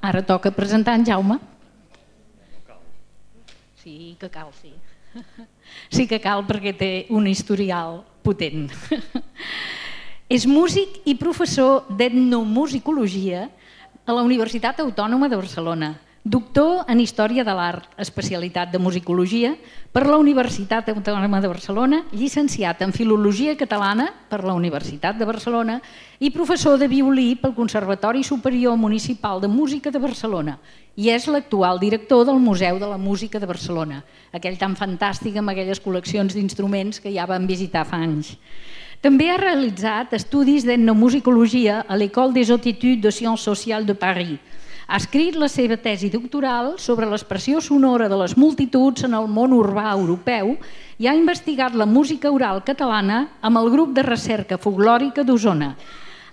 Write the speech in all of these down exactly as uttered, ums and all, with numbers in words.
Ara toca presentar en Jaume. Sí que cal, sí. Sí que cal perquè té un historial potent. És músic i professor d'etnomusicologia a la Universitat Autònoma de Barcelona, doctor en Història de l'Art, especialitat de musicologia per la Universitat Autònoma de Barcelona, llicenciat en Filologia Catalana per la Universitat de Barcelona i professor de violí pel Conservatori Superior Municipal de Música de Barcelona i és l'actual director del Museu de la Música de Barcelona, aquell tan fantàstic amb aquelles col·leccions d'instruments que ja vam visitar fa anys. També ha realitzat estudis d'etnomusicologia a l'École des Hautes Études de Sciences Sociales de Paris. Ha escrit la seva tesi doctoral sobre l'expressió sonora de les multituds en el món urbà europeu i ha investigat la música oral catalana amb el grup de recerca folklòrica d'Osona.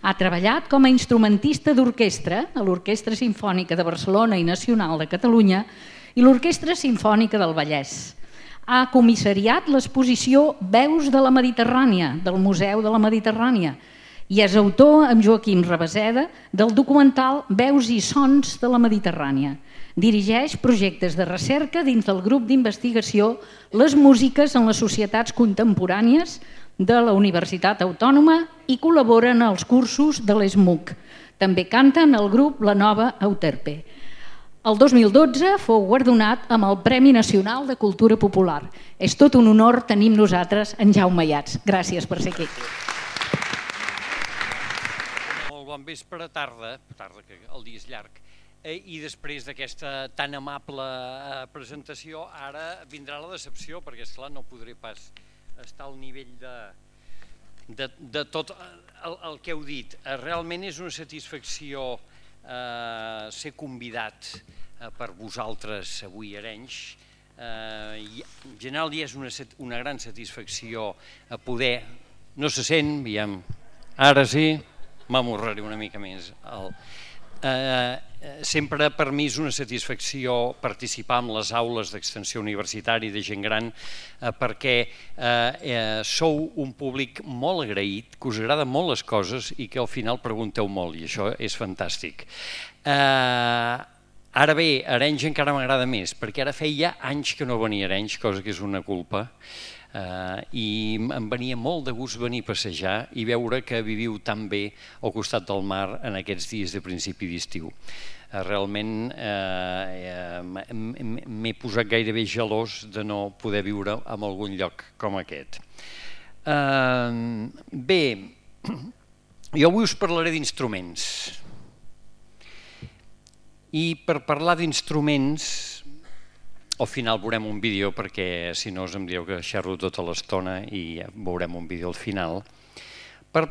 Ha treballat com a instrumentista d'orquestra a l'Orquestra Simfònica de Barcelona i Nacional de Catalunya i l'Orquestra Simfònica del Vallès. Ha comissariat l'exposició Veus de la Mediterrània del Museu de la Mediterrània i és autor, amb Joaquim Rabaseda, del documental Veus i Sons de la Mediterrània. Dirigeix projectes de recerca dins del grup d'investigació Les Músiques en les Societats Contemporànies de la Universitat Autònoma i col·labora en els cursos de l'E S M U C. També canta en el grup La Nova Euterpe. El dos mil dotze fou guardonat amb el Premi Nacional de Cultura Popular. És tot un honor tenir amb nosaltres en Jaume Ayats. Gràcies per ser aquí. Molt bon vespre, tarda, tarda que el dia és llarg, i després d'aquesta tan amable presentació ara vindrà la decepció, perquè esclar no podré pas estar al nivell de, de, de tot el, el que heu dit. Realment és una satisfacció eh, ser convidat eh, per vosaltres avui a Arenys. Eh, en general ja és una, una gran satisfacció a poder, no se sent, veiem, ara sí, m'amorraré una mica més. El, eh, sempre per mi és una satisfacció participar en les aules d'extensió universitària de gent gran eh, perquè eh, eh, sou un públic molt agraït, que us agraden molt les coses i que al final pregunteu molt i això és fantàstic. Eh, ara bé, Arenys encara m'agrada més perquè ara feia anys que no venia a Arenys, cosa que és una culpa. Uh, i em venia molt de gust venir a passejar i veure que viviu tan bé al costat del mar en aquests dies de principi d'estiu. Uh, realment uh, uh, m'he posat gairebé gelós de no poder viure en algun lloc com aquest. Uh, bé, jo avui us parlaré d'instruments. I per parlar d'instruments al final veurem un vídeo perquè si no us em dieu que xerro tota l'estona i veurem un vídeo al final. Per,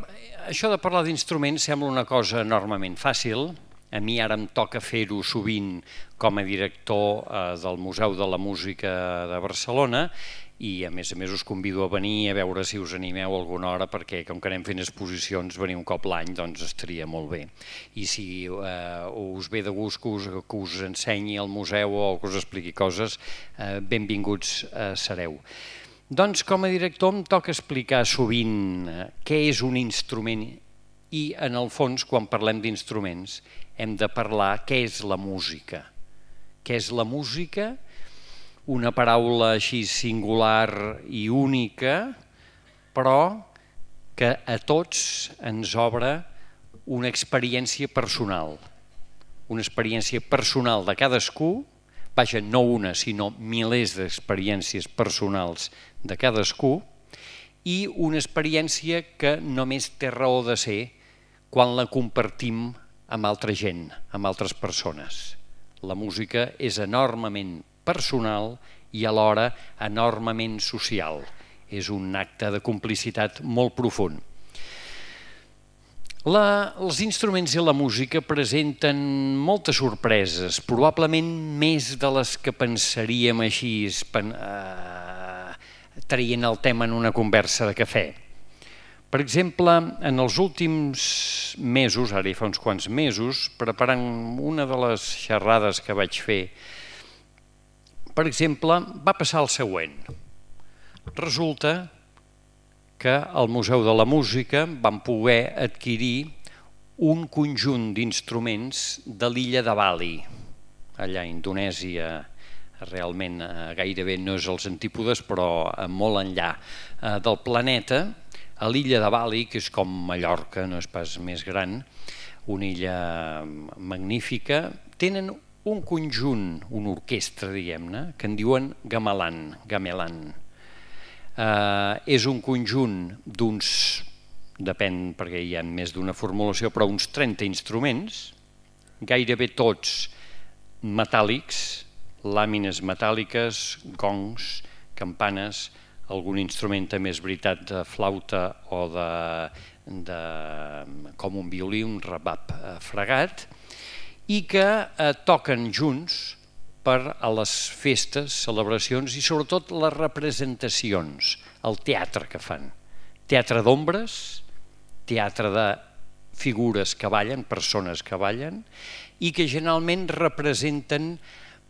això de parlar d'instruments sembla una cosa enormement fàcil. A mi ara em toca fer-ho sovint com a director eh, del Museu de la Música de Barcelona i a més a més us convido a venir a veure si us animeu alguna hora perquè com que anem fent exposicions venir un cop l'any doncs estaria molt bé. I si eh, us ve de gust que us, que us ensenyi al museu o que us expliqui coses, eh, benvinguts eh, sereu. Doncs com a director em toca explicar sovint eh, què és un instrument i en el fons quan parlem d'instruments hem de parlar què és la música. Què és la música? Una paraula així singular i única, però que a tots ens obre una experiència personal. Una experiència personal de cadascú, vaja, no una, sinó milers d'experiències personals de cadascú, i una experiència que només té raó de ser quan la compartim amb altra gent, amb altres persones. La música és enormement personal i alhora enormement social. És un acte de complicitat molt profund. La, els instruments i la música presenten moltes sorpreses, probablement més de les que pensaríem així, eh, traient el tema en una conversa de cafè. Per exemple, en els últims mesos, ara hi fa uns quants mesos, preparant una de les xerrades que vaig fer, per exemple, va passar el següent. Resulta que al Museu de la Música vam poder adquirir un conjunt d'instruments de l'illa de Bali. Allà a Indonèsia realment gairebé no és els antípodes, però molt enllà del planeta, a l'illa de Bali, que és com Mallorca, no és pas més gran, una illa magnífica, tenen un conjunt, una orquestra, diguem-ne, que en diuen gamelan. gamelan. Eh, és un conjunt d'uns, depèn perquè hi ha més d'una formulació, però uns trenta instruments, gairebé tots metàl·lics, làmines metàl·liques, gongs, campanes, algun instrument també és veritat de flauta o de, de com un violí, un rebab fregat, i que eh, toquen junts per a les festes, celebracions i sobretot les representacions, el teatre que fan. Teatre d'ombres, teatre de figures que ballen, persones que ballen, i que generalment representen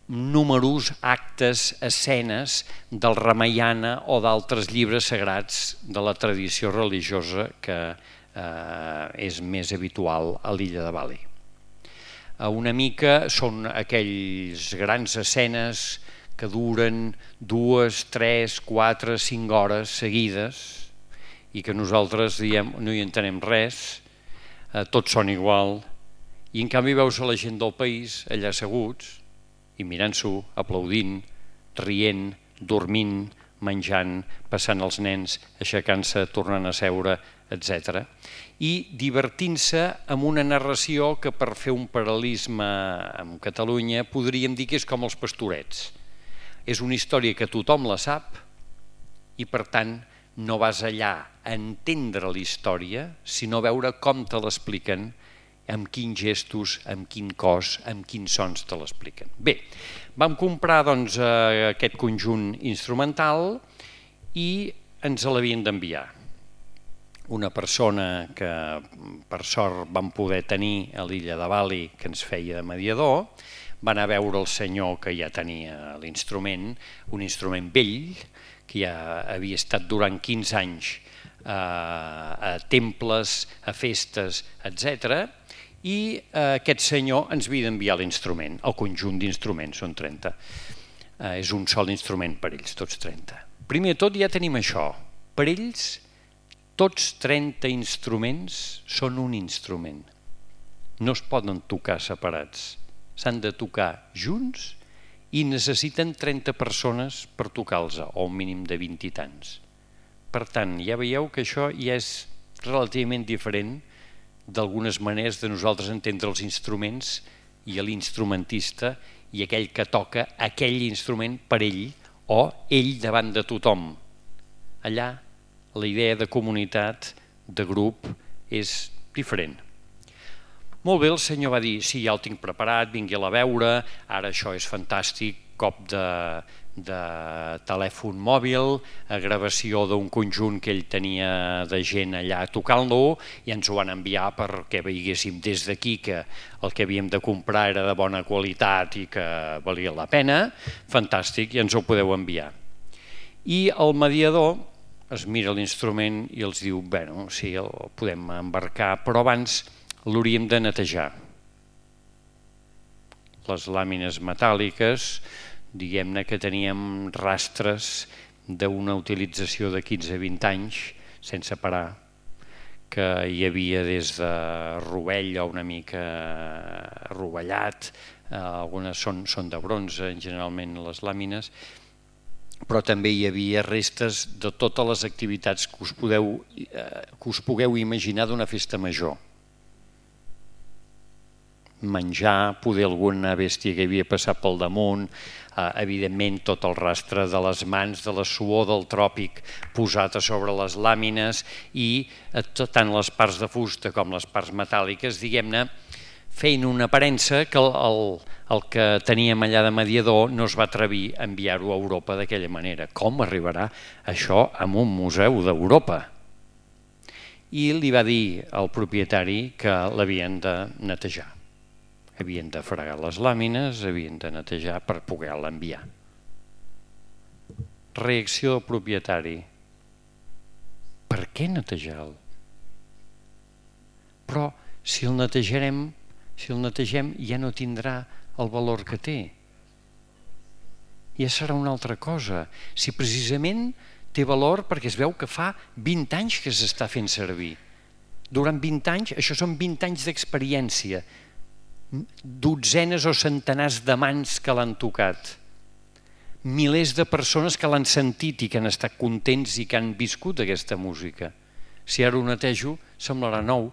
números, actes, escenes del Ramayana o d'altres llibres sagrats de la tradició religiosa que eh, és més habitual a l'illa de Bali. Una mica són aquells grans escenes que duren dues, tres, quatre, cinc hores seguides i que nosaltres diem no hi entenem res, eh, tots són igual, i en canvi veus a la gent del país allà asseguts i mirant-s'ho, aplaudint, rient, dormint, menjant, passant els nens, aixecant-se, tornant a seure, etcètera. I divertint-se amb una narració que, per fer un paral·lelisme amb Catalunya, podríem dir que és com els Pastorets. És una història que tothom la sap i, per tant, no vas allà a entendre la història, sinó a veure com te l'expliquen, amb quins gestos, amb quin cos, amb quins sons te l'expliquen. Bé, vam comprar doncs, aquest conjunt instrumental i ens l'havien d'enviar. Una persona que per sort vam poder tenir a l'illa de Bali, que ens feia de mediador, va anar a veure el senyor que ja tenia l'instrument, un instrument vell, que ja havia estat durant quinze anys a temples, a festes, etcètera, i aquest senyor ens havia d'enviar l'instrument, el conjunt d'instruments, són trenta. És un sol instrument per ells, tots trenta. Primer de tot ja tenim això, per ells tots trenta instruments són un instrument. No es poden tocar separats, s'han de tocar junts i necessiten trenta persones per tocar-los, o un mínim de vint i tants. Per tant, ja veieu que això ja és relativament diferent d'algunes maneres de nosaltres entendre els instruments i l'instrumentista i aquell que toca aquell instrument per ell o ell davant de tothom. Allà la idea de comunitat, de grup, és diferent. Molt bé, el senyor va dir, sí, ja el tinc preparat, vingui-la a veure, ara això és fantàstic, cop de, de telèfon mòbil, a gravació d'un conjunt que ell tenia de gent allà tocant-lo, i ens ho van enviar perquè veiéssim des d'aquí que el que havíem de comprar era de bona qualitat i que valia la pena, fantàstic, i ens ho podeu enviar. I el mediador es mira l'instrument i els diu, bueno, sí, el podem embarcar, però abans l'hauríem de netejar. Les làmines metàl·liques, diguem-ne que teníem rastres d'una utilització de quinze a vint anys, sense parar, que hi havia des de rovell o una mica rovellat, algunes són, són de bronze, generalment les làmines, però també hi havia restes de totes les activitats que us, podeu, que us pugueu imaginar d'una festa major. Menjar, poder alguna bèstia que havia passat pel damunt, evidentment tot el rastre de les mans, de la suor del tròpic posat a sobre les làmines i tant les parts de fusta com les parts metàl·liques, diguem-ne, feien una aparença que el, el que teníem allà de mediador no es va atrevir a enviar-ho a Europa d'aquella manera. Com arribarà això a un museu d'Europa? I li va dir al propietari que l'havien de netejar. Havien de fregar les làmines, havien de netejar per poder-la enviar. Reacció del propietari. Per què netejar-lo? Però si el netejarem, si el netegem ja no tindrà el valor que té. Ja serà una altra cosa. Si precisament té valor perquè es veu que fa vint anys que s'està fent servir. Durant vint anys, això són vint anys d'experiència, dotzenes o centenars de mans que l'han tocat, milers de persones que l'han sentit i que han estat contents i que han viscut aquesta música. Si ara ho netejo, semblarà nou.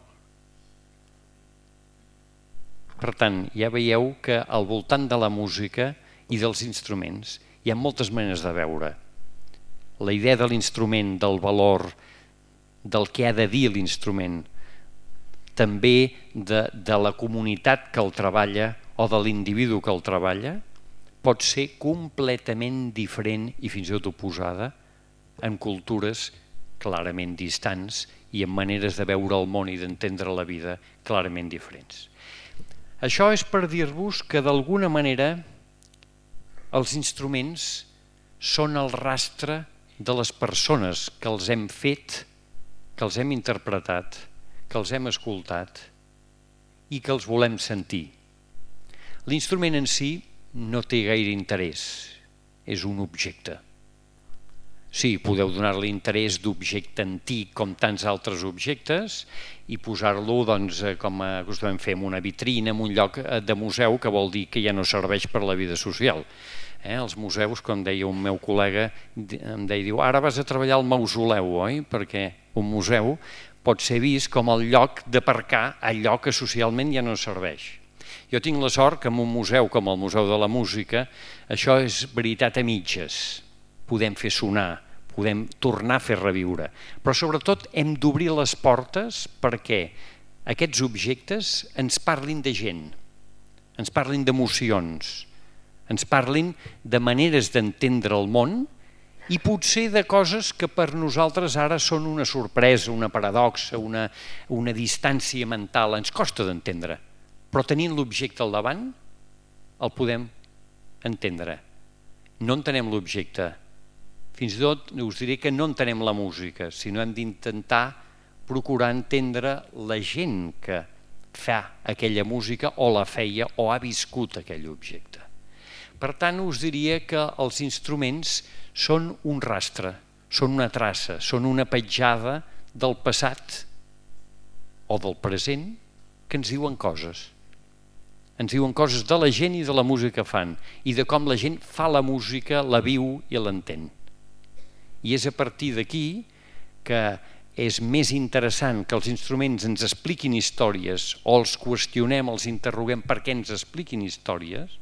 Per tant, ja veieu que al voltant de la música i dels instruments hi ha moltes maneres de veure. La idea de l'instrument, del valor, del que ha de dir l'instrument, també de, de la comunitat que el treballa o de l'individu que el treballa, pot ser completament diferent i fins i tot oposada en cultures clarament distants i en maneres de veure el món i d'entendre la vida clarament diferents. Això és per dir-vos que d'alguna manera els instruments són el rastre de les persones que els hem fet, que els hem interpretat, que els hem escoltat i que els volem sentir. L'instrument en si no té gaire interès, és un objecte. Sí, podeu donar-li interès d'objecte antic com tants altres objectes i posar-lo, doncs, com acostumem a fer, en una vitrina, en un lloc de museu, que vol dir que ja no serveix per la vida social. Eh? Els museus, com deia un meu col·lega, em deia, diu, ara vas a treballar al mausoleu, oi? Perquè un museu pot ser vist com el lloc d'aparcar allò que socialment ja no serveix. Jo tinc la sort que en un museu com el Museu de la Música això és veritat a mitges. Podem fer sonar, podem tornar a fer reviure, però sobretot hem d'obrir les portes perquè aquests objectes ens parlin de gent, ens parlin d'emocions, ens parlin de maneres d'entendre el món i potser de coses que per nosaltres ara són una sorpresa, una paradoxa, una, una distància mental, ens costa d'entendre, però tenint l'objecte al davant el podem entendre. No entenem l'objecte, fins i tot us diré que no entenem la música, sinó hem d'intentar procurar entendre la gent que fa aquella música o la feia o ha viscut aquell objecte. Per tant, us diria que els instruments són un rastre, són una traça, són una petjada del passat o del present que ens diuen coses. Ens diuen coses de la gent i de la música que fan i de com la gent fa la música, la viu i l'entén. I és a partir d'aquí que és més interessant que els instruments ens expliquin històries o els qüestionem, els interroguem per què ens expliquin històries,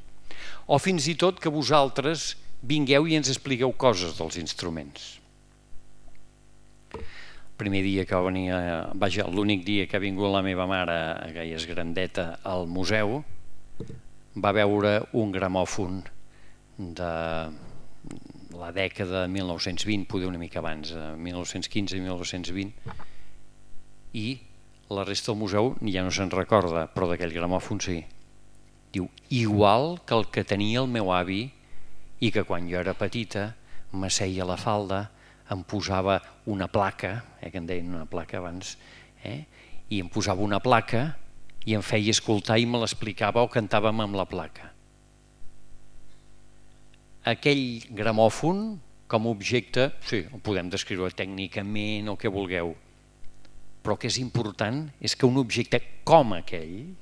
o fins i tot que vosaltres vingueu i ens expliqueu coses dels instruments. El primer dia que va venir, vaja, l'únic dia que ha vingut la meva mare, que ja és grandeta, al museu, va veure un gramòfon de la dècada de mil nou-cents vint, poder una mica abans, mil nou-cents quinze i mil nou-cents vint, i la resta del museu ja no se'n recorda, però d'aquell gramòfon sí. Diu, igual que el que tenia el meu avi i que quan jo era petita m'asseia a la falda, em posava una placa, eh, que en deien una placa abans, eh, i em posava una placa i em feia escoltar i me l'explicava o cantàvem amb la placa. Aquell gramòfon, com a objecte, sí, el podem descriure tècnicament o que vulgueu, però el que és important és que un objecte com aquell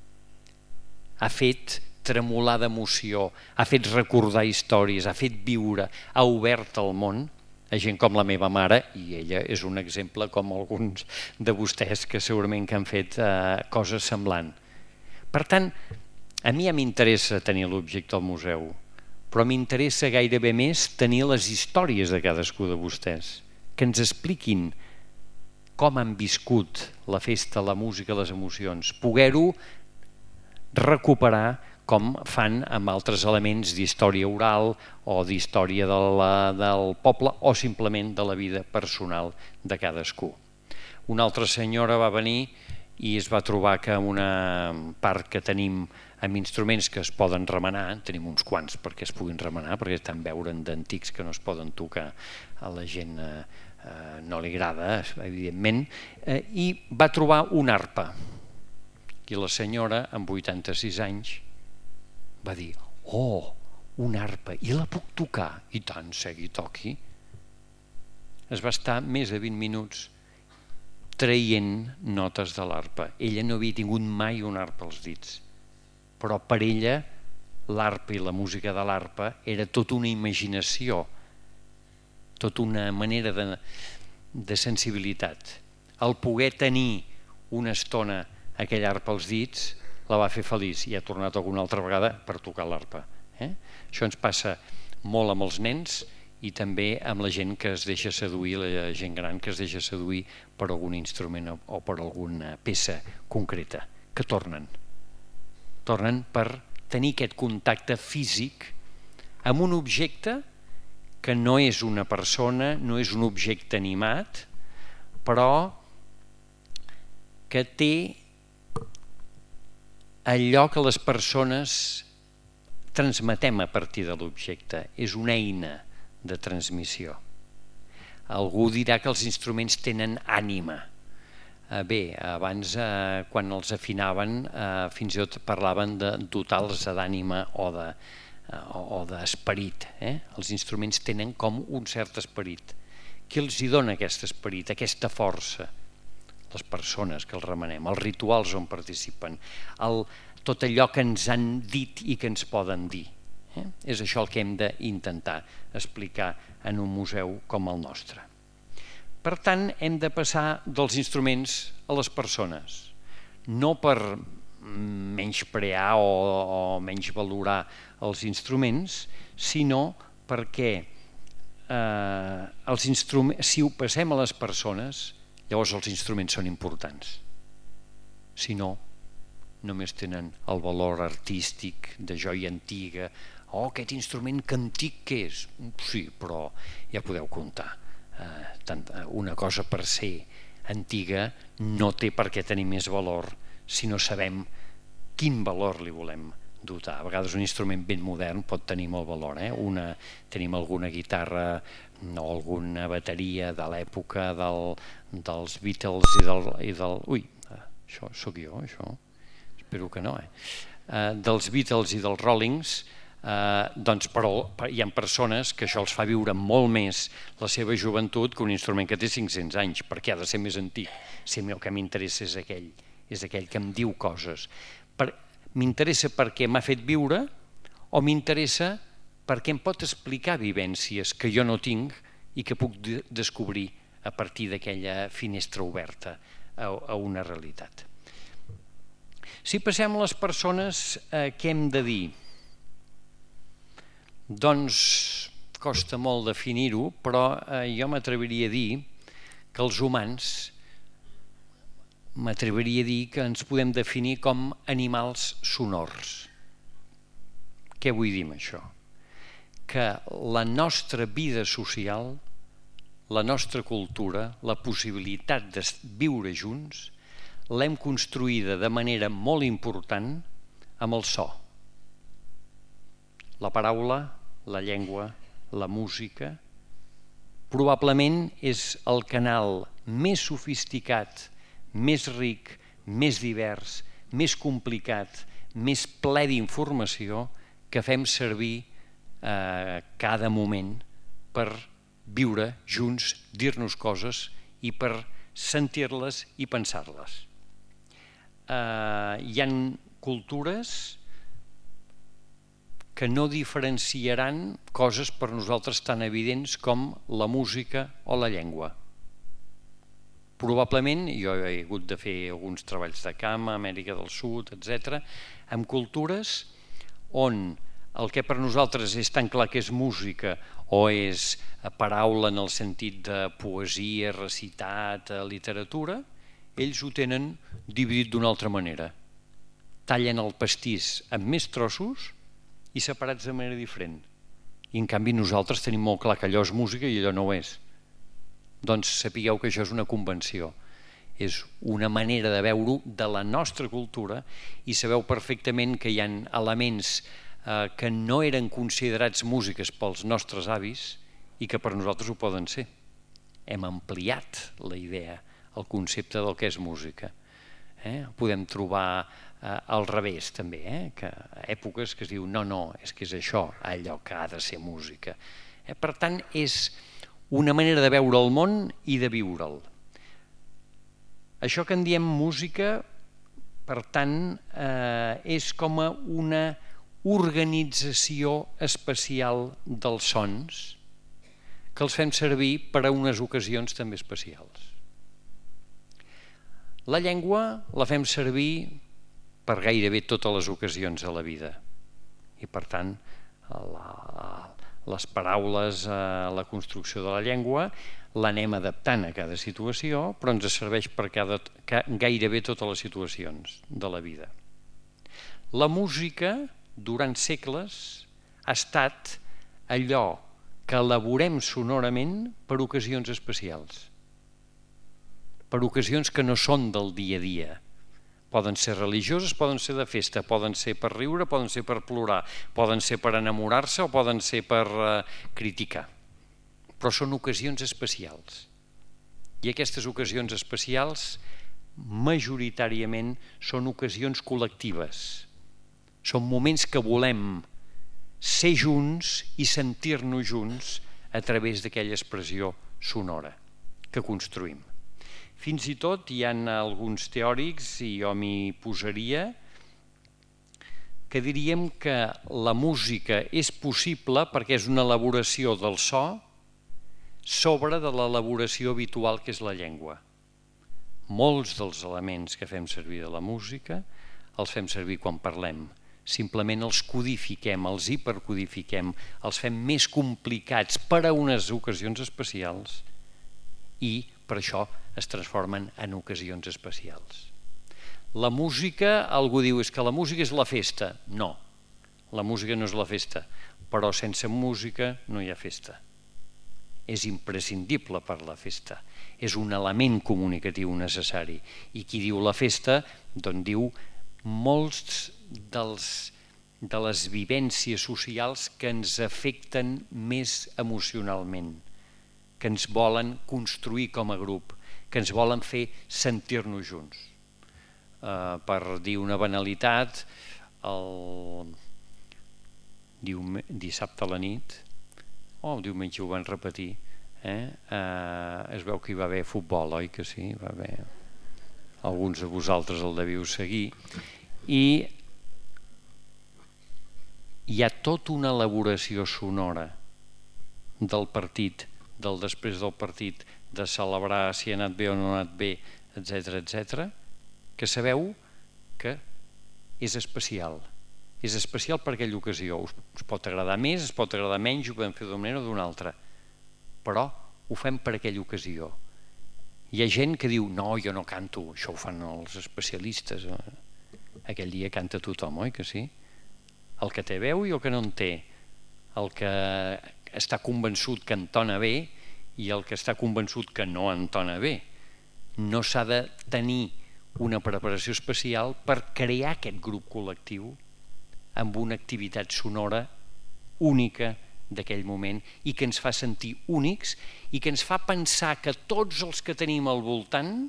ha fet tremolar d'emoció, ha fet recordar històries, ha fet viure, ha obert el món a gent com la meva mare, i ella és un exemple com alguns de vostès que segurament que han fet eh, coses semblants. Per tant, a mi ja m'interessa tenir l'objecte al museu, però m'interessa gairebé més tenir les històries de cadascú de vostès, que ens expliquin com han viscut la festa, la música, les emocions, poder-ho recuperar com fan amb altres elements d'història oral o d'història de la, del poble o simplement de la vida personal de cadascú. Una altra senyora va venir i es va trobar que en una part que tenim amb instruments que es poden remenar, tenim uns quants perquè es puguin remenar, perquè estan veuen d'antics que no es poden tocar, a la gent eh, no li agrada, evidentment, eh, i va trobar una arpa. I la senyora, amb vuitanta-sis anys, va dir, oh, una arpa, i la puc tocar? I tant, segui, toqui. Es va estar més de vint minuts traient notes de l'arpa. Ella no havia tingut mai una arpa als dits, però per ella l'arpa i la música de l'arpa era tota una imaginació, tota una manera de, de sensibilitat. El poder tenir una estona aquella arpa als dits la va fer feliç i ha tornat alguna altra vegada per tocar l'arpa. Eh? Això ens passa molt amb els nens i també amb la gent que es deixa seduir, la gent gran que es deixa seduir per algun instrument o per alguna peça concreta, que tornen. Tornen per tenir aquest contacte físic amb un objecte que no és una persona, no és un objecte animat, però que té allò que les persones transmetem a partir de l'objecte. És una eina de transmissió. Algú dirà que els instruments tenen ànima. Bé, abans quan els afinaven fins i tot parlaven de dotar-los d'ànima o de o d'esperit. Els instruments tenen com un cert esperit. Qui els hi dona aquest esperit, aquesta força? Les persones que els remenem, els rituals on participen, tot allò que ens han dit i que ens poden dir. És això el que hem d'intentar explicar en un museu com el nostre. Per tant, hem de passar dels instruments a les persones, no per menysprear o menys valorar els instruments, sinó perquè si ho passem a les persones, llavors els instruments són importants. Si no, només tenen el valor artístic de joia antiga. Oh, aquest instrument que antic que és? Sí, però ja podeu comptar. Una cosa per ser antiga no té per què tenir més valor si no sabem quin valor li volem dotar. A vegades un instrument ben modern pot tenir molt valor. Tenim alguna guitarra o alguna bateria de l'època dels Beatles i del... Ui, això sóc jo, això? Espero que no, eh? Dels Beatles i dels Rollings, doncs però hi ha persones que això els fa viure molt més la seva joventut que un instrument que té cinc-cents anys, perquè ha de ser més antic. Si el que m'interessa és aquell, és aquell que em diu coses. M'interessa perquè m'ha fet viure o m'interessa perquè em pot explicar vivències que jo no tinc i que puc descobrir a partir d'aquella finestra oberta a una realitat. Si passem a les persones, què hem de dir? Doncs costa molt definir-ho, però jo m'atreviria a dir que els humans, m'atreviria a dir que ens podem definir com animals sonors. Què vull dir amb això? Que la nostra vida social, la nostra cultura, la possibilitat de viure junts, l'hem construïda de manera molt important amb el so. La paraula, la llengua, la música, probablement és el canal més sofisticat, més ric, més divers, més complicat, més ple d'informació que fem servir cada moment per viure junts, dir-nos coses i per sentir-les i pensar-les. Hi ha cultures que no diferenciaran coses per nosaltres tan evidents com la música o la llengua. Probablement, jo he hagut de fer alguns treballs de camp a Amèrica del Sud, etcètera, amb cultures on el que per nosaltres és tan clar que és música o és paraula en el sentit de poesia, recitat, literatura, ells ho tenen dividit d'una altra manera. Tallen el pastís amb més trossos i separats de manera diferent. I en canvi nosaltres tenim molt clar que allò és música i allò no ho és. Doncs sapigueu que això és una convenció. És una manera de veure-ho de la nostra cultura i sabeu perfectament que hi ha elements que no eren considerats músiques pels nostres avis i que per nosaltres ho poden ser. Hem ampliat la idea, el concepte del que és música. Podem trobar al revés també, que èpoques que es diu no, no, és que és això allò que ha de ser música. Per tant, és una manera de veure el món i de viure'l. Això que en diem música, per tant, és com una organització especial dels sons que els fem servir per a unes ocasions també especials. La llengua la fem servir per gairebé totes les ocasions de la vida i, per tant, les paraules, la construcció de la llengua l'anem adaptant a cada situació, però ens serveix per gairebé totes les situacions de la vida. La música, durant segles, ha estat allò que elaborem sonorament per ocasions especials, per ocasions que no són del dia a dia. Poden ser religioses, poden ser de festa, poden ser per riure, poden ser per plorar, poden ser per enamorar-se o poden ser per criticar. Però són ocasions especials. I aquestes ocasions especials majoritàriament són ocasions col·lectives. Són moments que volem ser junts i sentir-nos junts a través d'aquella expressió sonora que construïm. Fins i tot hi ha alguns teòrics, i jo m'hi posaria, que diríem que la música és possible perquè és una elaboració del so sobre de l'elaboració habitual que és la llengua. Molts dels elements que fem servir de la música els fem servir quan parlem. Simplement els codifiquem, els hipercodifiquem, els fem més complicats per a unes ocasions especials i per això es transformen en ocasions especials. La música, algú diu, és que la música és la festa. No, la música no és la festa, però sense música no hi ha festa. És imprescindible per la festa, és un element comunicatiu necessari. I qui diu la festa, doncs diu molts dels, de les vivències socials que ens afecten més emocionalment, que ens volen construir com a grup, que ens volen fer sentir-nos junts. Uh, per dir una banalitat, el dissabte a la nit, o el diumenge ho van repetir, eh? uh, es veu que hi va haver futbol, oi que sí? Va haver... Alguns de vosaltres el deviu seguir, i hi ha tota una elaboració sonora del partit, del després del partit, de celebrar si ha anat bé o no ha anat bé, etcètera, etcètera, que sabeu que és especial. És especial per aquella ocasió. Us pot agradar més, es pot agradar menys, ho podem fer d'una manera o d'una altra, però ho fem per aquella ocasió. Hi ha gent que diu, no, jo no canto, això ho fan els especialistes. Aquell dia canta tothom, oi que sí? El que té veu i el que no en té, el que està convençut que entona bé i el que està convençut que no entona bé. No s'ha de tenir una preparació especial per crear aquest grup col·lectiu amb una activitat sonora única d'aquell moment i que ens fa sentir únics i que ens fa pensar que tots els que tenim al voltant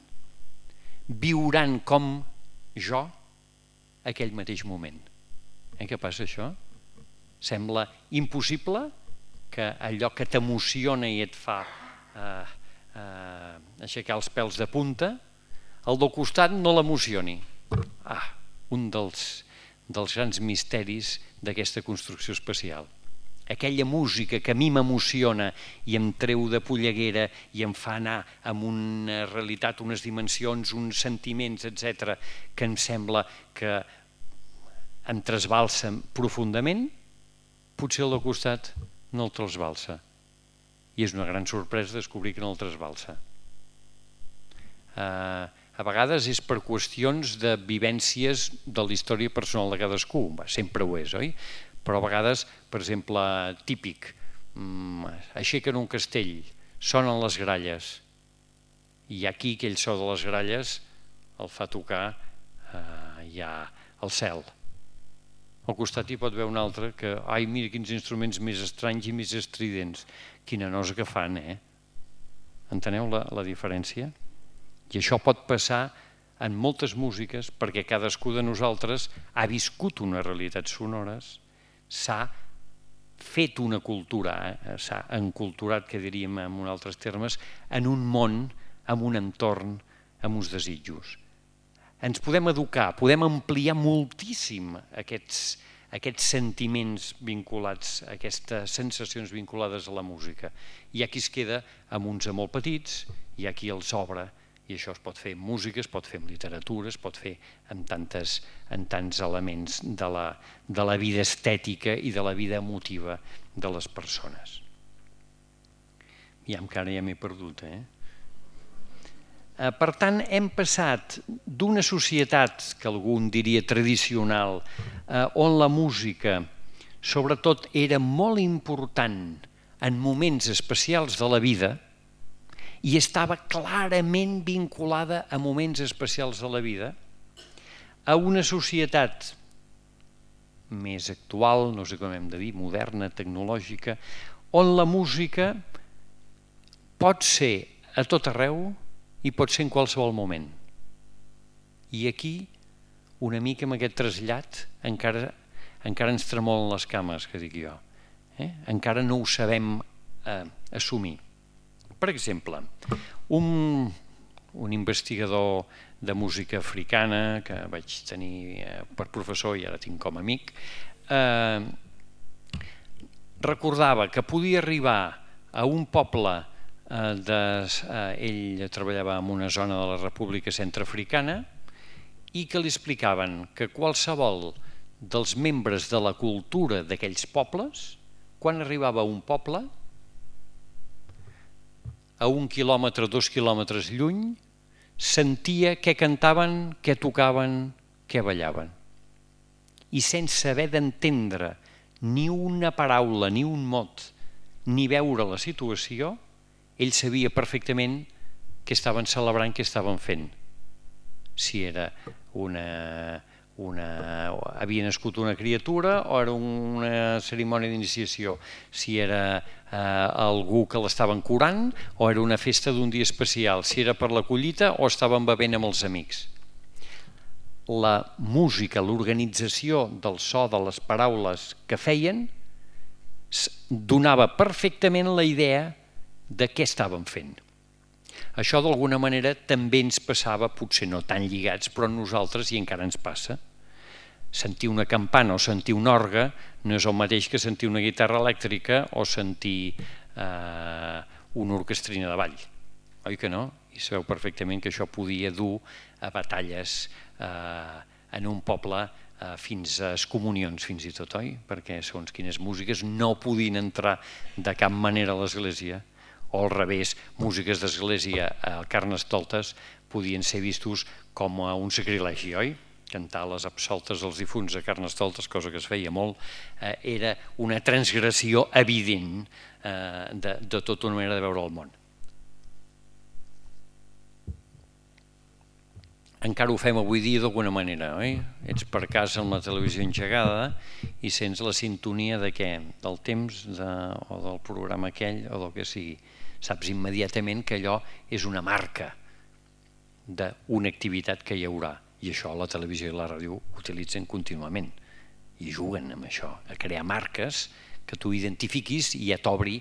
viuran com jo aquell mateix moment. Eh, què passa això? Sembla impossible que allò que t'emociona i et fa eh, eh, aixecar els pèls de punta, el del costat no l'emocioni. Ah, un dels, dels grans misteris d'aquesta construcció especial. Aquella música que a mi m'emociona i em treu de polleguera i em fa anar amb una realitat, unes dimensions, uns sentiments, etcètera, que em sembla que em trasbalsa profundament, potser el del costat no el trasbalsa. I és una gran sorpresa descobrir que no el trasbalsa. Uh, a vegades és per qüestions de vivències de la història personal de cadascú, sempre ho és, oi? Però a vegades, per exemple, típic, aixequen un castell, sonen les gralles, i aquí aquell so de les gralles el fa tocar eh, ja al cel. Al costat hi pot haver un altre que, ai, mira quins instruments més estranys i més estridents, quina nosa que fan, eh? Enteneu la, la diferència? I això pot passar en moltes músiques, perquè cadascú de nosaltres ha viscut unes realitats sonores, s'ha fet una cultura, eh? s'ha enculturat, que diríem en uns altres termes, en un món, en un entorn, amb uns desitjos. Ens podem educar, podem ampliar moltíssim aquests, aquests sentiments vinculats, aquestes sensacions vinculades a la música. Hi ha qui es queda amb uns molt petits, hi ha qui els obre, i això es pot fer en música, es pot fer en literatura, es pot fer en, tantes, en tants elements de la, de la vida estètica i de la vida emotiva de les persones. Ja encara ja m'he perdut, eh? Per tant, hem passat d'una societat, que algú en diria tradicional, on la música, sobretot, era molt important en moments especials de la vida i estava clarament vinculada a moments especials de la vida, a una societat més actual, no sé com hem de dir, moderna, tecnològica, on la música pot ser a tot arreu i pot ser en qualsevol moment. I aquí, una mica amb aquest trasllat, encara, encara ens tremolen les cames, que dic jo. Eh? Encara no ho sabem eh, assumir. Per exemple, un, un investigador de música africana que vaig tenir eh, per professor i ara tinc com a amic, eh, recordava que podia arribar a un poble De, eh, ell treballava en una zona de la República Centreafricana i que li explicaven que qualsevol dels membres de la cultura d'aquells pobles, quan arribava a un poble, a un quilòmetre, dos quilòmetres lluny, sentia què cantaven, què tocaven, què ballaven. I sense haver d'entendre ni una paraula, ni un mot, ni veure la situació, ell sabia perfectament què estaven celebrant, què estaven fent. Si era una, una, havia nascut una criatura o era una cerimònia d'iniciació, si era eh, algú que l'estaven curant o era una festa d'un dia especial, si era per la collita o estaven bevent amb els amics. La música, l'organització del so de les paraules que feien donava perfectament la idea de què estàvem fent. Això d'alguna manera també ens passava, potser no tan lligats, però a nosaltres i encara ens passa. Sentir una campana o sentir un orgue no és el mateix que sentir una guitarra elèctrica o sentir eh, una orquestrina de ball. Oi que no? I sabeu perfectament que això podia dur a batalles eh, en un poble eh, fins a excomunions, fins i tot, oi? Perquè segons quines músiques no podien entrar de cap manera a l'església, o al revés, músiques d'església a Carnestoltes podien ser vistos com un sacrilegi, oi? Cantar les absoltes dels difunts a Carnestoltes, cosa que es feia molt, eh, era una transgressió evident eh, de, de tota una manera de veure el món. Encara ho fem avui dia d'alguna manera, oi? Ets per casa amb la televisió engegada i sents la sintonia de què? Del temps de, o del programa aquell o del que sigui. Saps immediatament que allò és una marca d'una activitat que hi haurà. I això la televisió i la ràdio ho utilitzen contínuament. I juguen amb això, a crear marques que tu identifiquis i ja t'obri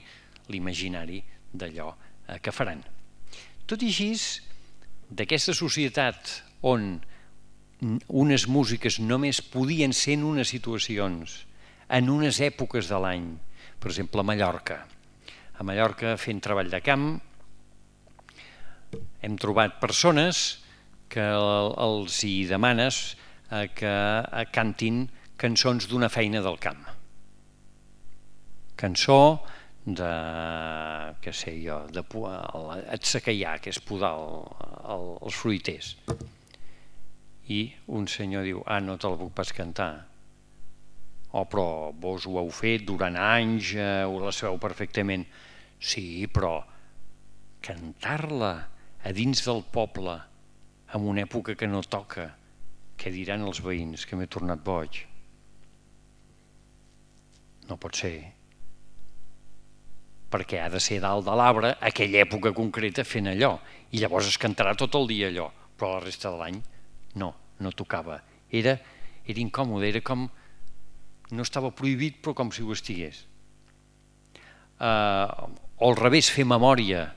l'imaginari d'allò que faran. Tot i així, d'aquesta societat on unes músiques només podien ser en unes situacions, en unes èpoques de l'any, per exemple a Mallorca. A Mallorca, fent treball de camp, hem trobat persones que els hi demanes que cantin cançons d'una feina del camp. Cançó de, què sé jo, de atzacaiar, que és podar els fruiters. I un senyor diu, ah, no te la puc pas cantar. Oh, però vos ho heu fet durant anys, ho la sabeu perfectament. Sí, però cantar-la a dins del poble en una època que no toca, què diran els veïns, que m'he tornat boig? No pot ser. Perquè ha de ser dalt de l'arbre aquella època concreta fent allò, i llavors es cantarà tot el dia allò. però la resta de l'any no, no tocava. Era, era incòmode, era com... no estava prohibit, però com si ho estigués. Uh, o al revés, fer memòria.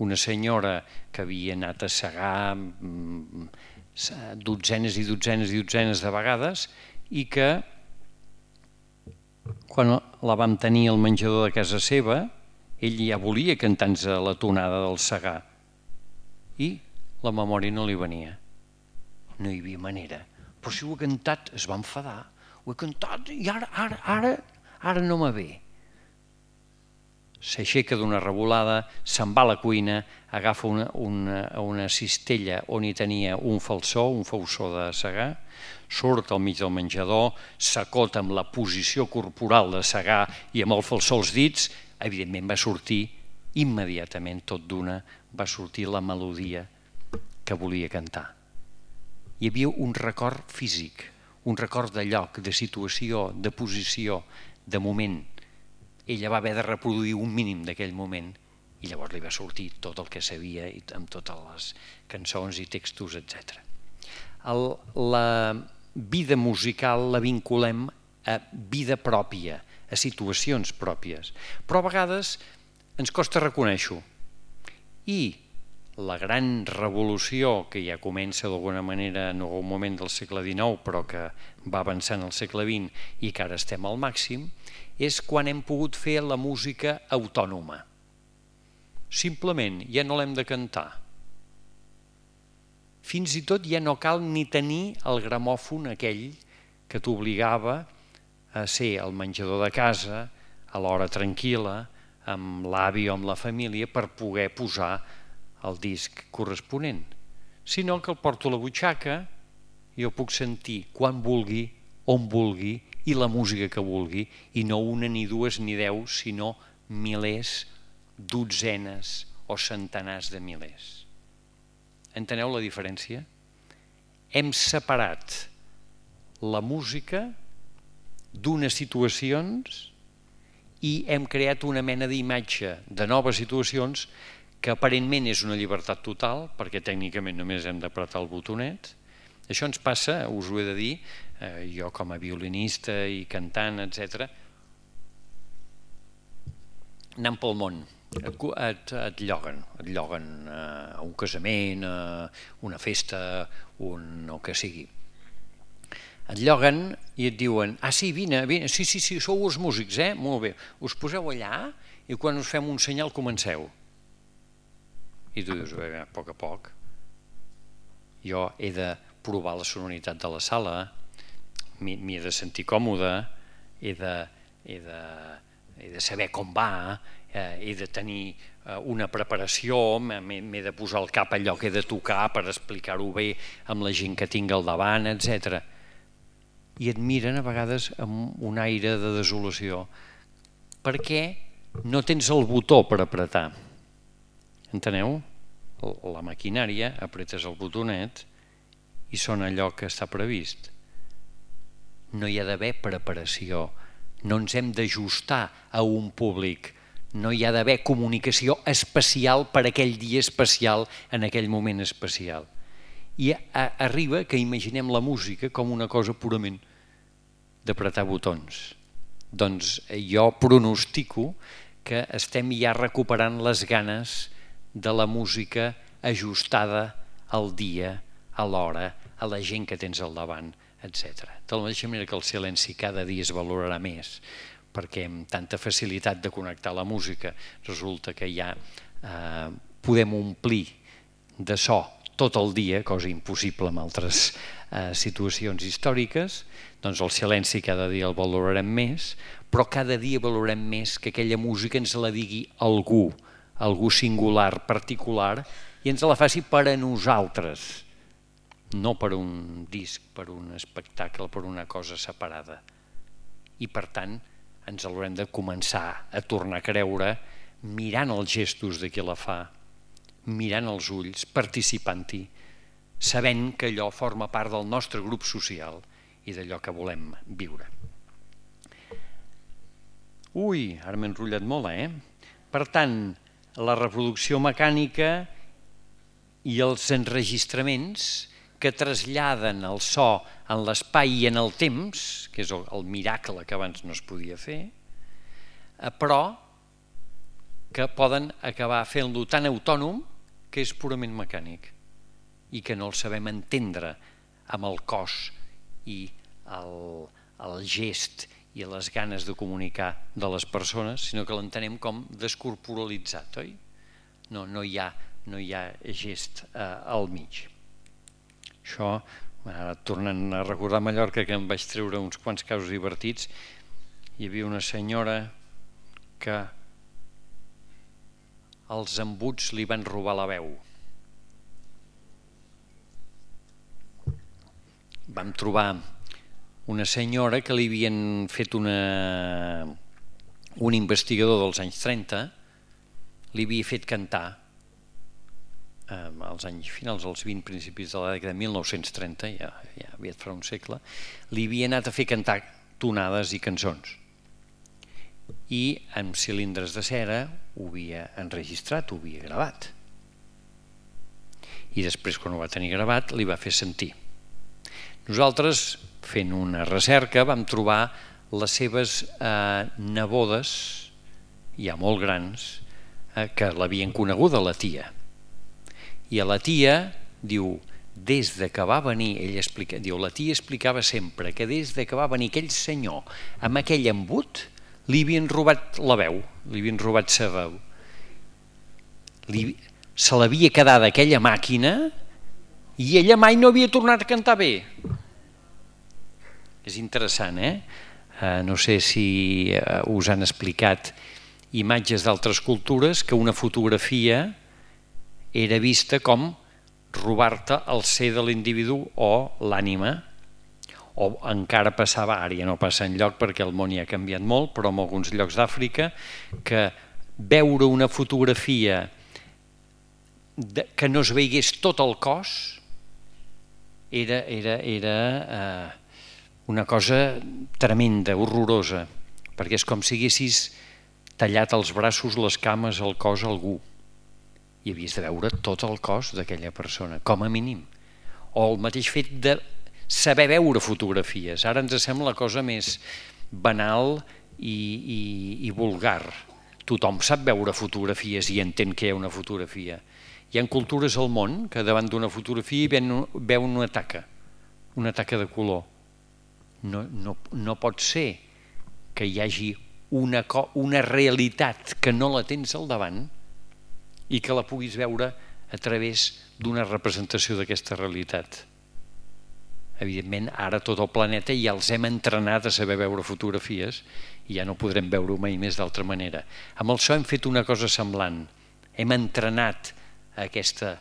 Una senyora que havia anat a segar mm, dotzenes i dotzenes i dotzenes de vegades i que quan la vam tenir al menjador de casa seva, ell ja volia cantar-nos la tonada del segar i la memòria no li venia. No hi havia manera. Però si ho he cantat, es va enfadar. Ho he cantat i ara, ara, ara, ara no me ve. S'aixeca d'una revolada, se'n va a la cuina, agafa una, una, una cistella on hi tenia un falsó, un fauçó de segar, surt al mig del menjador, s'acota amb la posició corporal de segar i amb el falsó als dits, evidentment va sortir immediatament, tot d'una, va sortir la melodia que volia cantar. Hi havia un record físic, un record de lloc, de situació, de posició, de moment. Ella va haver de reproduir un mínim d'aquell moment i llavors li va sortir tot el que sabia amb totes les cançons i textos, etcètera. La vida musical la vinculem a vida pròpia, a situacions pròpies, però a vegades ens costa reconèixer-ho. I la gran revolució que ja comença d'alguna manera en algun moment del segle dinou però que va avançant al segle vint i que ara estem al màxim, és quan hem pogut fer la música autònoma. Simplement ja no l'hem de cantar. Fins i tot ja no cal ni tenir el gramòfon aquell que t'obligava a ser al menjador de casa, a l'hora tranquil·la, amb l'avi o amb la família per poder posar el disc corresponent, sinó que el porto a la butxaca i el puc sentir quan vulgui, on vulgui i la música que vulgui, i no una, ni dues, ni deu, sinó milers, dotzenes o centenars de milers. Enteneu la diferència? Hem separat la música d'unes situacions i hem creat una mena d'imatge de noves situacions que aparentment és una llibertat total, perquè tècnicament només hem d'apretar el botonet. Això ens passa, us ho he de dir, eh, jo com a violinista i cantant, etcètera, anant pel món, et, et, et lloguen, et lloguen eh, a un casament, a una festa, un, el que sigui. Et lloguen i et diuen, ah sí, vine, vine, sí, sí, sí, sou els músics, eh? Molt bé, us poseu allà i quan us fem un senyal comenceu. I tu dius, bé, a poc a poc, jo he de provar la sonoritat de la sala, m'hi he de sentir còmode, he de, he de, he de saber com va, eh, he de tenir eh, una preparació, m'he de posar el cap al lloc que he de tocar per explicar-ho bé amb la gent que tinc al davant, etcètera. I et miren a vegades amb un aire de desolació perquè no tens el botó per apretar. Enteneu? La maquinària, apretes el botonet i sona allò que està previst. No hi ha d'haver preparació, no ens hem d'ajustar a un públic, no hi ha d'haver comunicació especial per aquell dia especial en aquell moment especial. I arriba que imaginem la música com una cosa purament d'apretar botons. Doncs jo pronostico que estem ja recuperant les ganes de la música ajustada al dia, a l'hora, a la gent que tens al davant, etcètera. De la mateixa manera que el silenci cada dia es valorarà més, perquè amb tanta facilitat de connectar la música resulta que ja eh, podem omplir de so tot el dia, cosa impossible en altres eh, situacions històriques, doncs el silenci cada dia el valorarem més, però cada dia valorem més que aquella música ens la digui algú, algú singular, particular, i ens la faci per a nosaltres, no per un disc, per un espectacle, per una cosa separada. I per tant ens l'haurem de començar a tornar a creure mirant els gestos de qui la fa, mirant els ulls, participant-hi, sabent que allò forma part del nostre grup social i d'allò que volem viure. Ui, ara m'he enrotllat molt, eh? Per tant, la reproducció mecànica i els enregistraments que traslladen el so en l'espai i en el temps, que és el miracle que abans no es podia fer, però que poden acabar fent-lo tan autònom que és purament mecànic i que no el sabem entendre amb el cos i el, el gest i les ganes de comunicar de les persones, sinó que l'entenem com descorporalitzat, oi? No, no, hi, ha, no hi ha gest eh, al mig. Això, ara, tornant a recordar Mallorca, que em vaig treure uns quants casos divertits, hi havia una senyora que els embuts li van robar la veu. Vam trobar una senyora que li havien fet una... un investigador dels anys trenta, li havia fet cantar als anys finals, als vint principis de la dècada de mil nou-cents trenta, ja, ja havia farà un segle, li havia anat a fer cantar tonades i cançons. I amb cilindres de cera ho havia enregistrat, ho havia gravat. I després, quan ho va tenir gravat, li va fer sentir. Nosaltres, fent una recerca, vam trobar les seves eh, nebodes, ja molt grans, eh, que l'havien coneguda, la tia. I a la tia, diu, des de que va venir, ell explica, diu, la tia explicava sempre que des de que va venir aquell senyor amb aquell embut, li havien robat la veu, li havien robat sa veu. Li, se l'havia quedat aquella màquina i ella mai no havia tornat a cantar bé. És interessant, eh? Uh, no sé si uh, us han explicat imatges d'altres cultures que una fotografia era vista com robar-te el ser de l'individu o l'ànima, o encara passava, ara ja no passa enlloc perquè el món ja ha canviat molt, però en alguns llocs d'Àfrica, que veure una fotografia de, que no es veigués tot el cos era, era, era eh, una cosa tremenda, horrorosa, perquè és com si haguessis tallat els braços, les cames, el cos a algú i havies de veure tot el cos d'aquella persona, com a mínim. O el mateix fet de saber veure fotografies. Ara ens sembla la cosa més banal i, i, i vulgar. Tothom sap veure fotografies i entén que hi ha una fotografia. Hi ha cultures al món que davant d'una fotografia veuen una taca, una taca de color. No, no, no pot ser que hi hagi una, una realitat que no la tens al davant i que la puguis veure a través d'una representació d'aquesta realitat. Evidentment, ara tot el planeta ja els hem entrenat a saber veure fotografies i ja no podrem veure-ho mai més d'altra manera. Amb el so hem fet una cosa semblant. Hem entrenat aquesta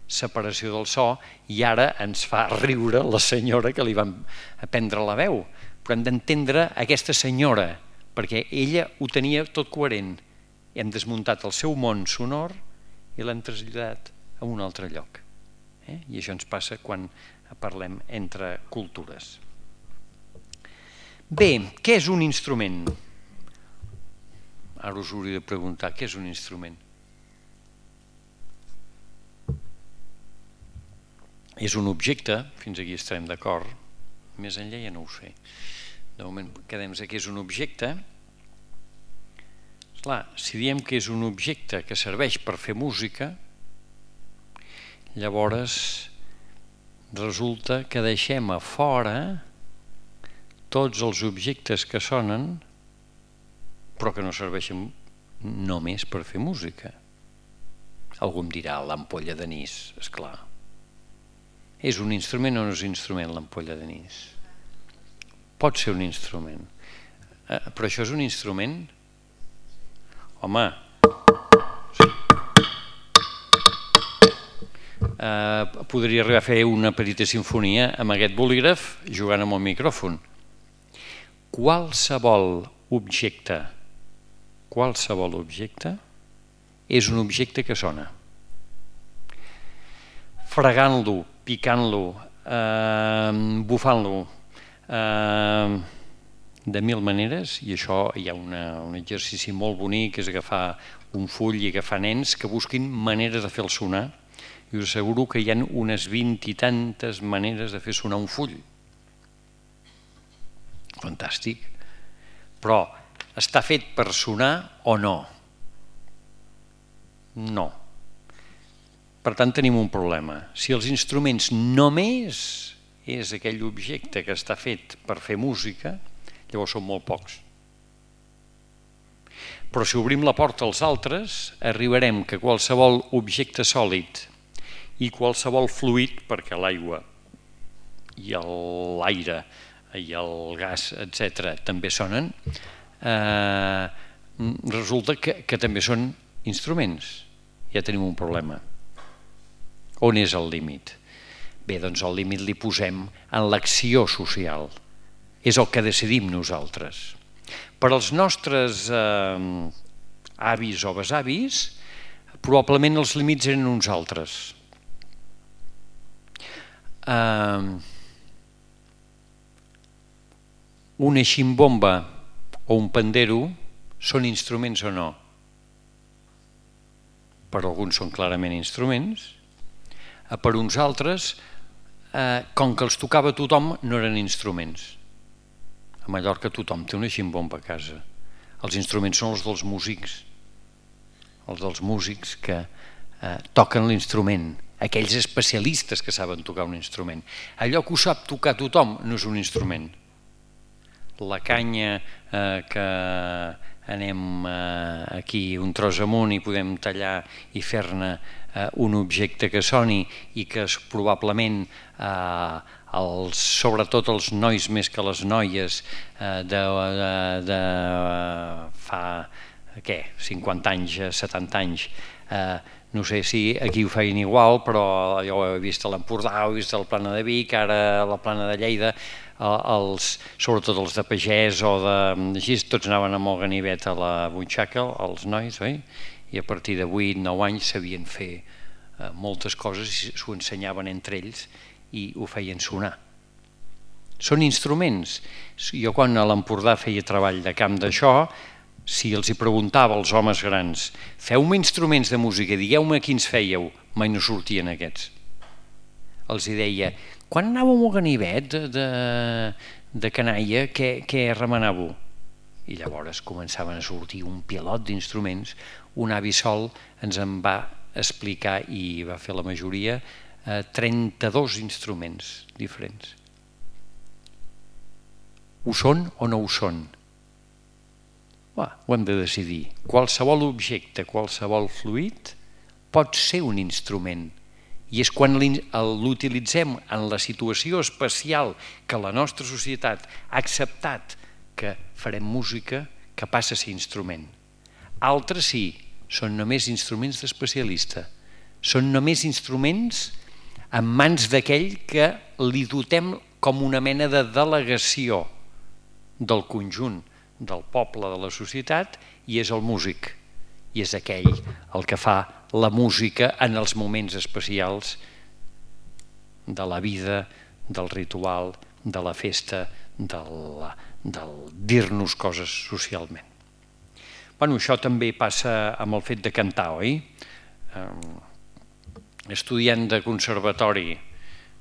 separació del so i ara ens fa riure la senyora que li van prendre la veu. Però hem d'entendre aquesta senyora, perquè ella ho tenia tot coherent. Hem desmuntat el seu món sonor i l'hem traslladat a un altre lloc. Eh? I això ens passa quan parlem entre cultures. Bé, què és un instrument? Ara us hauria de preguntar, què és un instrument? És un objecte, fins aquí estarem d'acord, més enllà ja no ho sé. De moment quedem-nos que és un objecte. Esclar, si diem que és un objecte que serveix per fer música, llavors resulta que deixem a fora tots els objectes que sonen però que no serveixen només per fer música. Algú em dirà l'ampolla d'anís, esclar. És un instrument o no és un instrument l'ampolla d'anís? Pot ser un instrument. Eh, però això és un instrument? Home, eh, podria arribar a fer una petita sinfonia amb aquest bolígraf jugant amb el micròfon. Qualsevol objecte, qualsevol objecte és un objecte que sona. Fregant-lo, picant-lo, eh, bufant-lo, eh, de mil maneres, i això hi ha una, un exercici molt bonic, és agafar un full i agafar nens que busquin maneres de fer-lo sonar, i us asseguro que hi ha unes vint i tantes maneres de fer sonar un full. Fantàstic. Però està fet per sonar o no? No. Per tant, tenim un problema. Si els instruments només és aquell objecte que està fet per fer música, llavors són molt pocs. Però si obrim la porta als altres, arribarem que qualsevol objecte sòlid i qualsevol fluid, perquè l'aigua i l'aire i el gas, etcètera, també sonen, eh, resulta que, que també són instruments. Ja tenim un problema. On és el límit? Bé, doncs el límit li posem en l'acció social. És el que decidim nosaltres. Per als nostres eh, avis o besavis, probablement els límits eren uns altres. Eh, una ximbomba o un pandero són instruments o no? Per alguns són clarament instruments, per uns altres, eh, com que els tocava tothom, no eren instruments. A Mallorca tothom té una ximbomba a casa. Els instruments són els dels músics, els dels músics que eh, toquen l'instrument, aquells especialistes que saben tocar un instrument. Allò que ho sap tocar tothom no és un instrument. La canya eh, que anem eh, aquí un tros amunt i podem tallar i fer-ne eh, un objecte que soni i que és, probablement eh, els, sobretot els nois més que les noies eh, de, de, de fa què, cinquanta anys, setanta anys, eh, no sé si aquí ho feien igual, però jo ho he vist a l'Empordà, ho he vist a la Plana de Vic, ara a la Plana de Lleida, els, sobretot els de pagès o de... Així, tots anaven amb el ganivet a la butxaca, els nois, oi? I a partir de vuit nou anys sabien fer eh, moltes coses i s'ho ensenyaven entre ells i ho feien sonar. Són instruments. Jo quan a l'Empordà feia treball de camp d'això, si els hi preguntava als homes grans, feu-me instruments de música, digueu-me quins fèieu, mai no sortien aquests. Els hi deia, quan anàveu al ganivet de, de, de canalla, què, què remenàveu? I llavors començaven a sortir un pilot d'instruments. Un avi sol ens en va explicar, i va fer la majoria, eh, trenta-dos instruments diferents. Ho són o no ho són? Va, ho hem de decidir. Qualsevol objecte, qualsevol fluid pot ser un instrument. I és quan l'utilitzem en la situació especial que la nostra societat ha acceptat que farem música, que passa a ser instrument. Altres sí, són només instruments d'especialista. Són només instruments en mans d'aquell que li dotem com una mena de delegació del conjunt del poble, de la societat, i és el músic. I és aquell el que fa la música en els moments especials de la vida, del ritual, de la festa, del, del dir-nos coses socialment. Bueno, això també passa amb el fet de cantar, oi? Estudiant de conservatori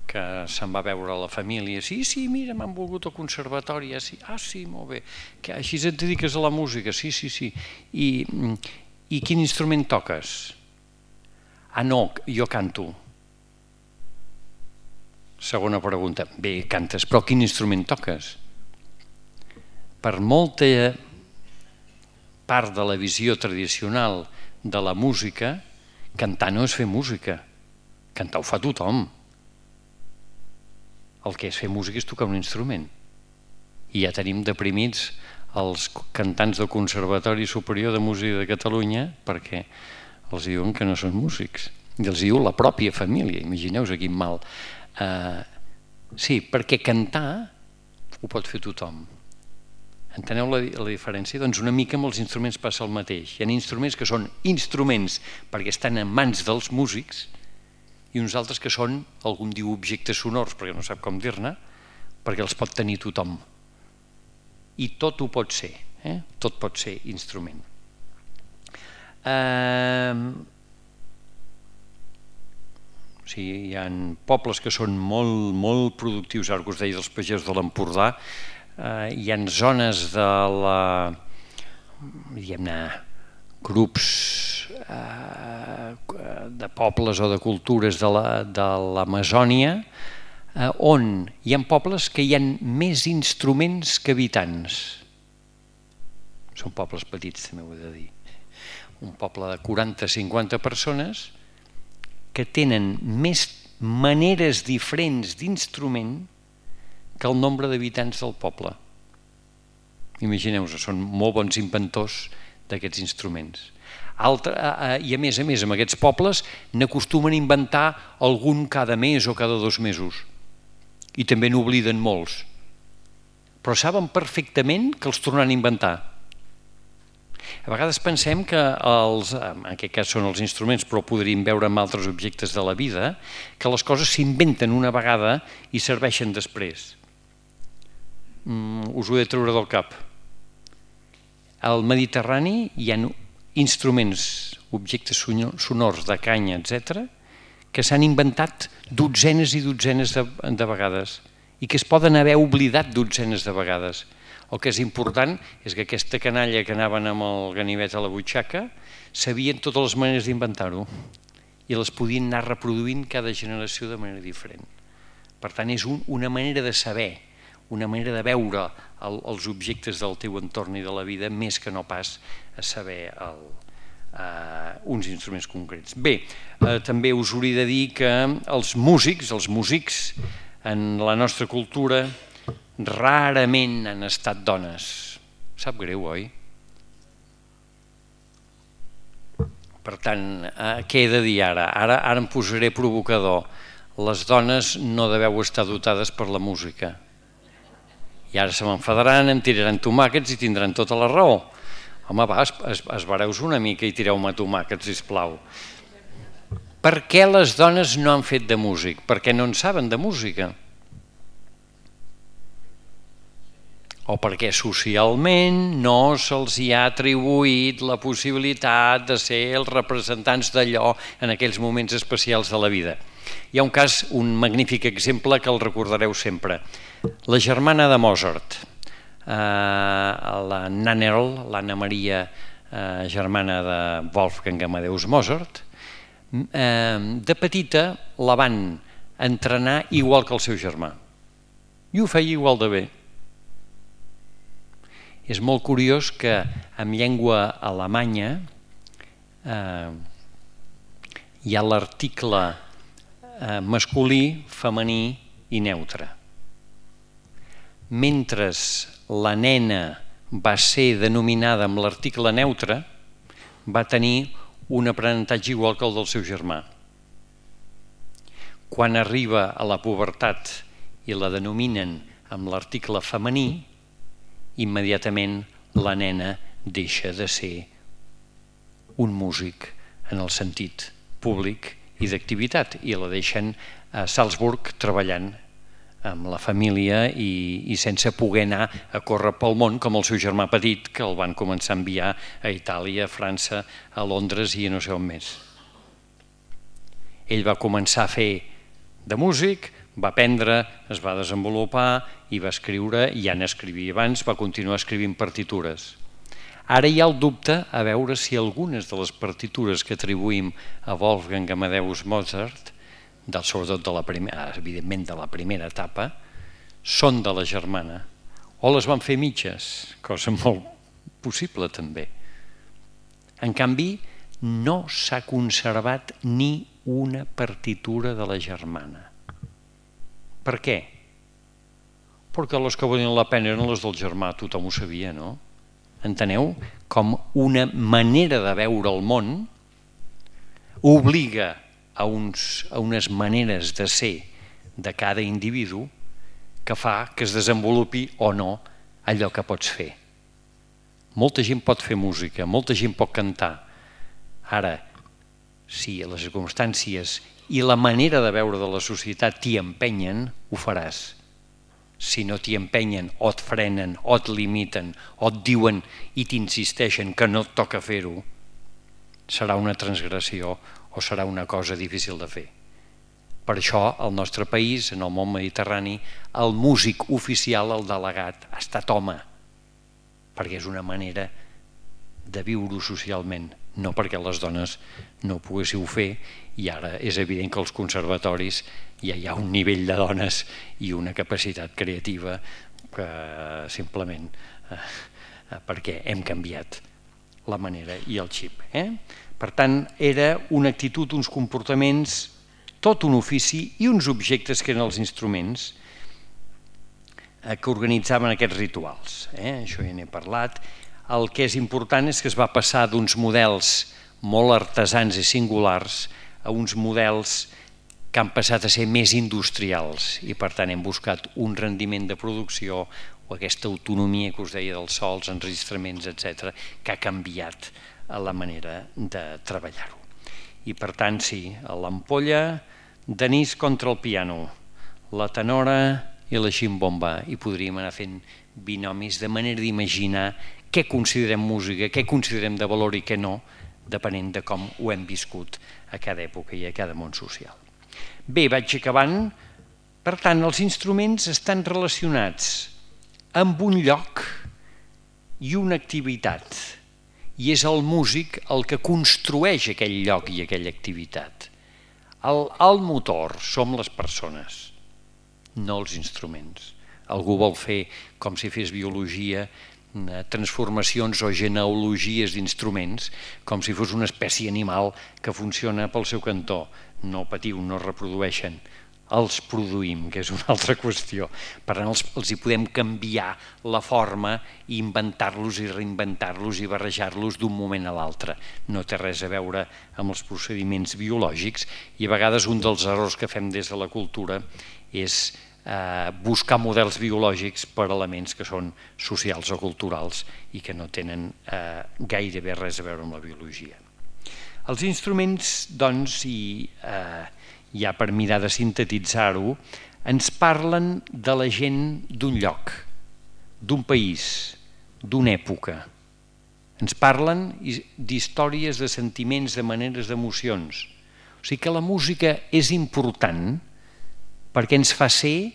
que se'n va veure a la família, sí, sí, mira, m'han volgut al conservatori, ah, sí, ah, sí, molt bé, que així et dediques a la música, sí, sí, sí, i, i quin instrument toques? Ah, no, jo canto. Segona pregunta, bé, cantes, però quin instrument toques? Per molta part de la visió tradicional de la música, cantar no és fer música, cantar ho fa tothom. El que és fer música és tocar un instrument. I ja tenim deprimits els cantants del Conservatori Superior de Música de Catalunya perquè els diuen que no són músics. I els diu la pròpia família, imagineu-vos quin mal. Uh, sí, perquè cantar ho pot fer tothom. Enteneu la, la diferència? Doncs una mica amb els instruments passa el mateix. Hi ha instruments que són instruments perquè estan en mans dels músics i uns altres que són, algú diu objectes sonors, perquè no sap com dir-ne, perquè els pot tenir tothom. I tot ho pot ser, eh? Tot pot ser instrument. Eh... O sigui, hi ha pobles que són molt, molt productius, ara que us deia dels pagesos de l'Empordà, eh, hi ha zones de la, diguem-ne, grups eh, de pobles o de cultures de l'Amazònia, eh, on hi ha pobles que hi ha més instruments que habitants. Són pobles petits, també ho he de dir. Un poble de quaranta a cinquanta persones que tenen més maneres diferents d'instrument que el nombre d'habitants del poble. Imagineu-vos, són molt bons inventors d'aquests instruments. Altre, I a més a més, amb aquests pobles n'acostumen a inventar algun cada mes o cada dos mesos. I també n'obliden molts. Però saben perfectament que els tornaran a inventar. A vegades pensem que, els, en aquest cas són els instruments, però podríem veure amb altres objectes de la vida, que les coses s'inventen una vegada i serveixen després. Mm, us ho he de treure del cap. Al Mediterrani hi ha instruments, objectes sonors de canya, etcètera, que s'han inventat dotzenes i dotzenes de, de vegades i que es poden haver oblidat dotzenes de vegades. El que és important és que aquesta canalla que anaven amb el ganivet a la butxaca sabien totes les maneres d'inventar-ho i les podien anar reproduint cada generació de manera diferent. Per tant, és un, una manera de saber, una manera de veure el, els objectes del teu entorn i de la vida més que no pas a saber el, uh, uns instruments concrets. Bé, uh, també us hauria de dir que els músics, els músics en la nostra cultura rarament han estat dones. Sap greu, oi? Per tant, eh, què he de dir ara? Ara? Ara em posaré provocador. Les dones no deveu estar dotades per la música. I ara se m'enfadaran, em tiraran tomàquets i tindran tota la raó. Home, va, es, es, esbareu-vos una mica i tireu-me tomàquets, sisplau. Per què les dones no han fet de músic? Perquè no en saben de música. O perquè socialment no se'ls hi ha atribuït la possibilitat de ser els representants d'allò en aquells moments especials de la vida. Hi ha un cas, un magnífic exemple que el recordareu sempre. La germana de Mozart, eh, la Nannerl, l'Anna Maria, eh, germana de Wolfgang Amadeus Mozart, eh, de petita la van entrenar igual que el seu germà. I ho feia igual de bé. És molt curiós que en llengua alemanya eh, hi ha l'article eh, masculí, femení i neutre. Mentre la nena va ser denominada amb l'article neutre, va tenir un aprenentatge igual que el del seu germà. Quan arriba a la pubertat i la denominen amb l'article femení, immediatament la nena deixa de ser un músic en el sentit públic i d'activitat i la deixen a Salzburg treballant amb la família i, i sense poder anar a córrer pel món com el seu germà petit que el van començar a enviar a Itàlia, a França, a Londres i a no sé on més. Ell va començar a fer de músic, va aprendre, es va desenvolupar i va escriure, ja n'escrivia abans, va continuar escrivint partitures. Ara hi ha el dubte a veure si algunes de les partitures que atribuïm a Wolfgang Amadeus Mozart, del, sobretot de la primera, evidentment de la primera etapa, són de la germana o les van fer mitges, cosa molt possible també. En canvi, no s'ha conservat ni una partitura de la germana. Per què? Perquè les que valien la pena eren les del germà, tothom ho sabia, no? Enteneu? Com una manera de veure el món obliga a, uns, a unes maneres de ser de cada individu que fa que es desenvolupi o no allò que pots fer. Molta gent pot fer música, molta gent pot cantar. Ara, si les circumstàncies i la manera de veure de la societat t'hi empenyen, ho faràs. Si no t'hi empenyen, o et frenen, o et limiten, o et diuen i t'insisteixen que no et toca fer-ho, serà una transgressió o serà una cosa difícil de fer. Per això, al nostre país, en el món mediterrani, el músic oficial, el delegat, ha estat home, perquè és una manera de viure socialment, no perquè les dones no ho poguéssiu fer, i ara és evident que als conservatoris ja hi ha un nivell de dones i una capacitat creativa que simplement eh, perquè hem canviat la manera i el xip. Eh? Per tant, era una actitud, uns comportaments, tot un ofici i uns objectes que eren els instruments eh, que organitzaven aquests rituals. Eh? Això ja n'he parlat. El que és important és que es va passar d'uns models molt artesans i singulars a uns models que han passat a ser més industrials i per tant hem buscat un rendiment de producció o aquesta autonomia que us deia dels so, els enregistraments, etcètera, que ha canviat la manera de treballar-ho. I per tant, sí, l'ampolla d'anís contra el piano, la tenora i la ximbomba, i podríem anar fent binomis de manera d'imaginar què considerem música, què considerem de valor i què no, depenent de com ho hem viscut a cada època i a cada món social. Bé, vaig acabant. Per tant, els instruments estan relacionats amb un lloc i una activitat, i és el músic el que construeix aquell lloc i aquella activitat. El, el motor som les persones, no els instruments. Algú vol fer, com si fes biologia, transformacions o genealogies d'instruments, com si fos una espècie animal que funciona pel seu cantó. No patiu, no reprodueixen, els produïm, que és una altra qüestió. Per tant, els, els hi podem canviar la forma i inventar-los i reinventar-los i barrejar-los d'un moment a l'altre. No té res a veure amb els procediments biològics i a vegades un dels errors que fem des de la cultura és eh, buscar models biològics per elements que són socials o culturals i que no tenen eh, gairebé res a veure amb la biologia. Els instruments, doncs, i eh, ja per mirar de sintetitzar-ho, ens parlen de la gent d'un lloc, d'un país, d'una època. Ens parlen d'històries, de sentiments, de maneres, d'emocions. O sigui que la música és important perquè ens fa ser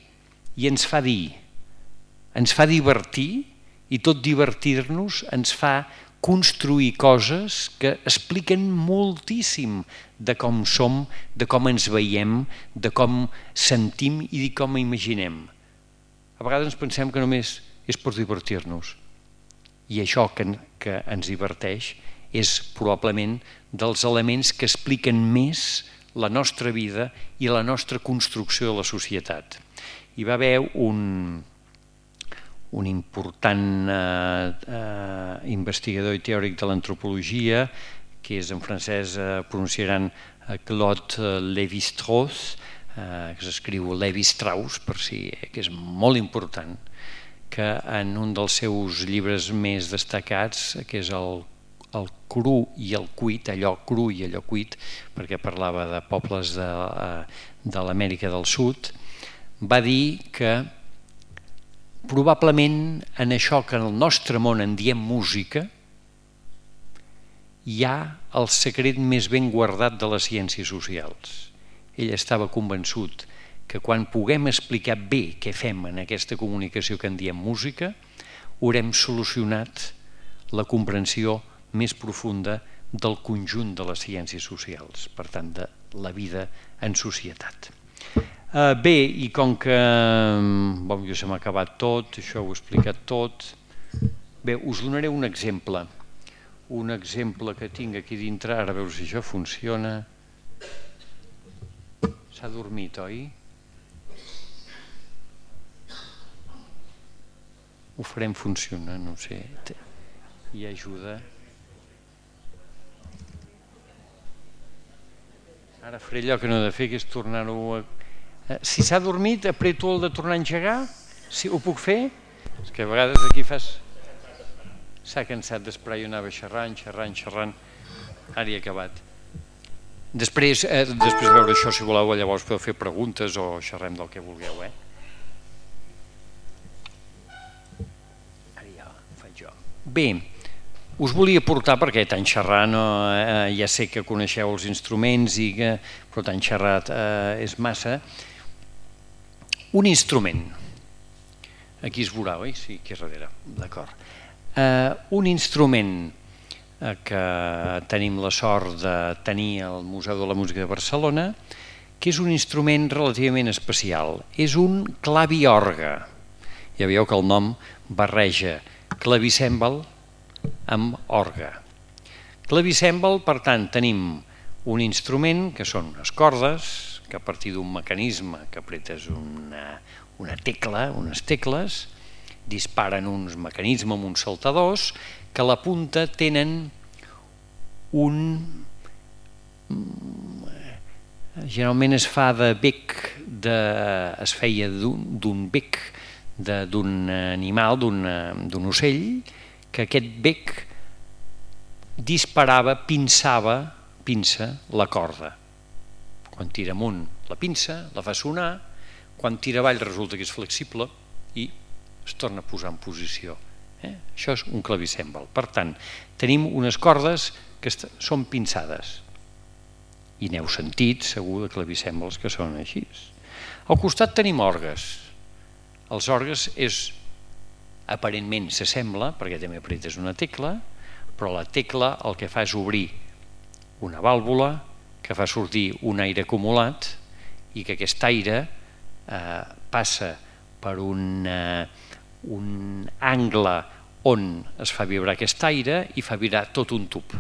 i ens fa dir, ens fa divertir i tot divertir-nos ens fa construir coses que expliquen moltíssim de com som, de com ens veiem, de com sentim i de com imaginem. A vegades ens pensem que només és per divertir-nos i això que, que ens diverteix és probablement dels elements que expliquen més la nostra vida i la nostra construcció de la societat. Hi va haver un... un important eh, eh, investigador i teòric de l'antropologia, que és en francès, eh, pronunciaran eh, Claude Lévi-Strauss, eh, que s'escriu Lévi-Strauss, per si, eh, que és molt important, que en un dels seus llibres més destacats, que és el, el cru i el cuit, allò cru i allò cuit, perquè parlava de pobles de, eh, de l'Amèrica del Sud, va dir que probablement en això que en el nostre món en diem música hi ha el secret més ben guardat de les ciències socials. Ell estava convençut que quan puguem explicar bé què fem en aquesta comunicació que en diem música, haurem solucionat la comprensió més profunda del conjunt de les ciències socials, per tant, de la vida en societat. Uh, bé, i com que bon, jo se m'ha acabat tot, això ho he explicat tot, bé, us donaré un exemple, un exemple que tinc aquí dintre, ara a veure si això funciona. S'ha dormit, oi? Ho farem funcionar, no sé, hi ajuda. Ara faré allò que no he de fer, que és tornar-ho a... Si s'ha dormit, apreto el de tornar a engegar? Si ho puc fer? És que a vegades aquí fas... S'ha cansat d'esperar, jo anava xerrant, xerrant, xerrant. Ara he acabat. Després, eh, després de veure això, si voleu, llavors podeu fer preguntes o xerrem del que vulgueu, eh? Ara ja ho faig jo. Bé, us volia portar, perquè tant xerrar, no, eh, ja sé que coneixeu els instruments, i que, però tant xerrat eh, és massa, un instrument. Aquí es veurà, oi? Sí, aquí darrere, d'acord. Eh, un instrument eh, que tenim la sort de tenir al Museu de la Música de Barcelona, que és un instrument relativament especial. És un claviorgue. Ja veieu que el nom barreja clavicèmbal amb orgue. Clavicèmbal, per tant, tenim un instrument que són unes cordes, que a partir d'un mecanisme que apretes una, una tecla, unes tecles, disparen uns mecanismes amb uns saltadors que a la punta tenen un... Generalment es fa de bec, de... es feia d'un bec d'un animal, d'un ocell, que aquest bec disparava, pinçava, pinça la corda. Quan tira amunt la pinça, la fa sonar, quan tira avall resulta que és flexible i es torna a posar en posició. Eh? Això és un clavicèmbal. Per tant, tenim unes cordes que són pinçades i n'heu sentit segur de clavicèmbals que són així. Al costat tenim orgues. Els orgues és, aparentment s'assembla, perquè també apretes una tecla, però la tecla el que fa és obrir una vàlvula que fa sortir un aire acumulat i que aquest aire eh, passa per un, eh, un angle on es fa vibrar aquest aire i fa vibrar tot un tub.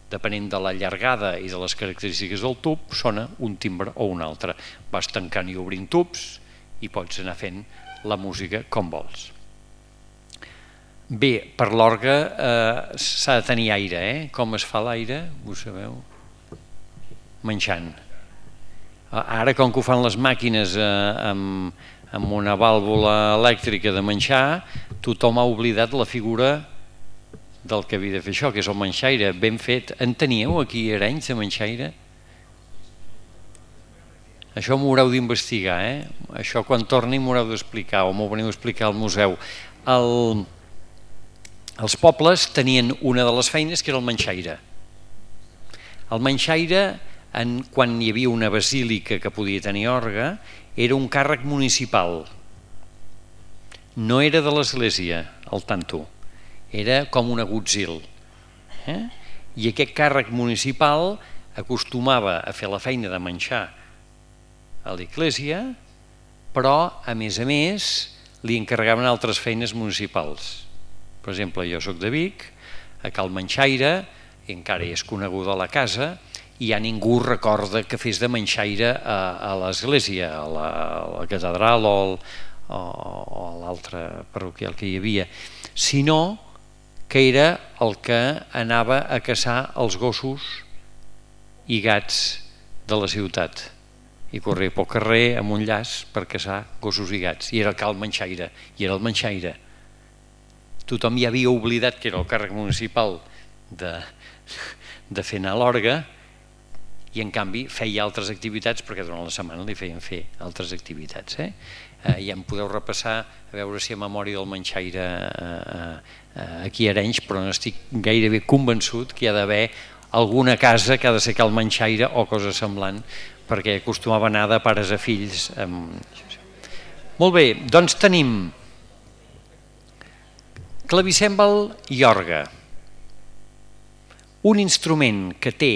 Depenent de la llargada i de les característiques del tub, sona un timbre o un altre. Vas tancant i obrint tubs i pots anar fent la música com vols. Bé, per l'orgue eh, s'ha de tenir aire, eh? Com es fa l'aire? Ho sabeu? Menjant. Ara, com que ho fan les màquines eh, amb, amb una vàlvula elèctrica de menjar, tothom ha oblidat la figura del que havia de fer això, que és el menjaire. Ben fet. En teníeu aquí a Arenys de menjaire? Això m'ho haureu d'investigar, eh? Això quan torni m'ho haureu d'explicar o m'ho veniu a explicar al museu. El... Els pobles tenien una de les feines que era el menjaire. El menjaire, en, quan hi havia una basílica que podia tenir orgue, era un càrrec municipal. No era de l'església, el tanto. Era com un agutzil. Eh? I aquest càrrec municipal acostumava a fer la feina de menjar a l'església, però, a més a més, li encarregaven altres feines municipals. Per exemple, jo soc de Vic, a Cal Menxaire, i encara hi és coneguda la casa, i ja ningú recorda que fes de menxaire a, a l'església, a, a la catedral o, el, o, o a l'altre parroquial que hi havia, sinó que era el que anava a caçar els gossos i gats de la ciutat. I corria pel carrer amb un llaç per caçar gossos i gats. I era el Cal Menxaire, i era el menxaire. Tothom ja havia oblidat que era el càrrec municipal de, de fer anar a l'orgue, i en canvi feia altres activitats perquè durant la setmana li feien fer altres activitats. Eh? Eh, ja em podeu repassar a veure si a memòria del menxaire eh, eh, aquí a Arenys, però no estic gairebé convençut que hi ha d'haver alguna casa que ha de ser Cal Menxaire o cosa semblant, perquè acostumava a anar de pares a fills. Molt bé, doncs tenim clavicèmbal i orgue. Un instrument que té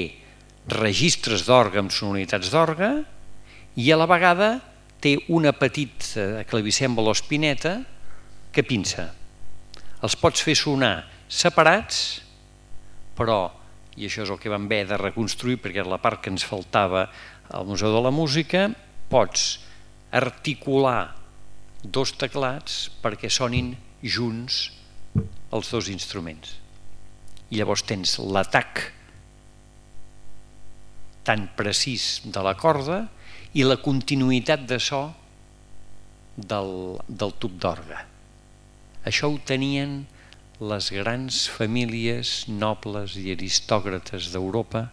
registres d'orgue amb sonoritats d'orgue i a la vegada té una petita clavicèmbal o espineta que pinça. Els pots fer sonar separats, però, i això és el que vam haver de reconstruir perquè era la part que ens faltava al Museu de la Música, pots articular dos teclats perquè sonin junts els dos instruments. I llavors tens l'atac tan precís de la corda i la continuïtat de so del, del tub d'orgue. Això ho tenien les grans famílies nobles i aristòcrates d'Europa,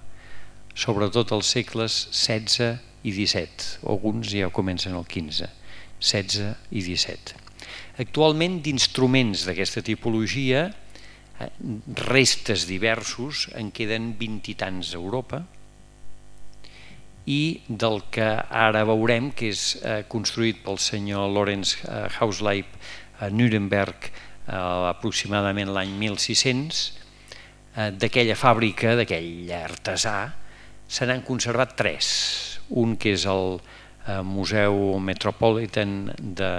sobretot als segles setze i disset. Alguns ja comencen al quinze, setze i disset. Actualment, d'instruments d'aquesta tipologia restes diversos, en queden vint i tants a Europa, i del que ara veurem, que és eh, construït pel senyor Lorenz eh, Hausleib a Nuremberg eh, aproximadament l'any mil sis-cents, eh, d'aquella fàbrica, d'aquell artesà, se n'han conservat tres. Un que és el eh, Museu Metropolitan de,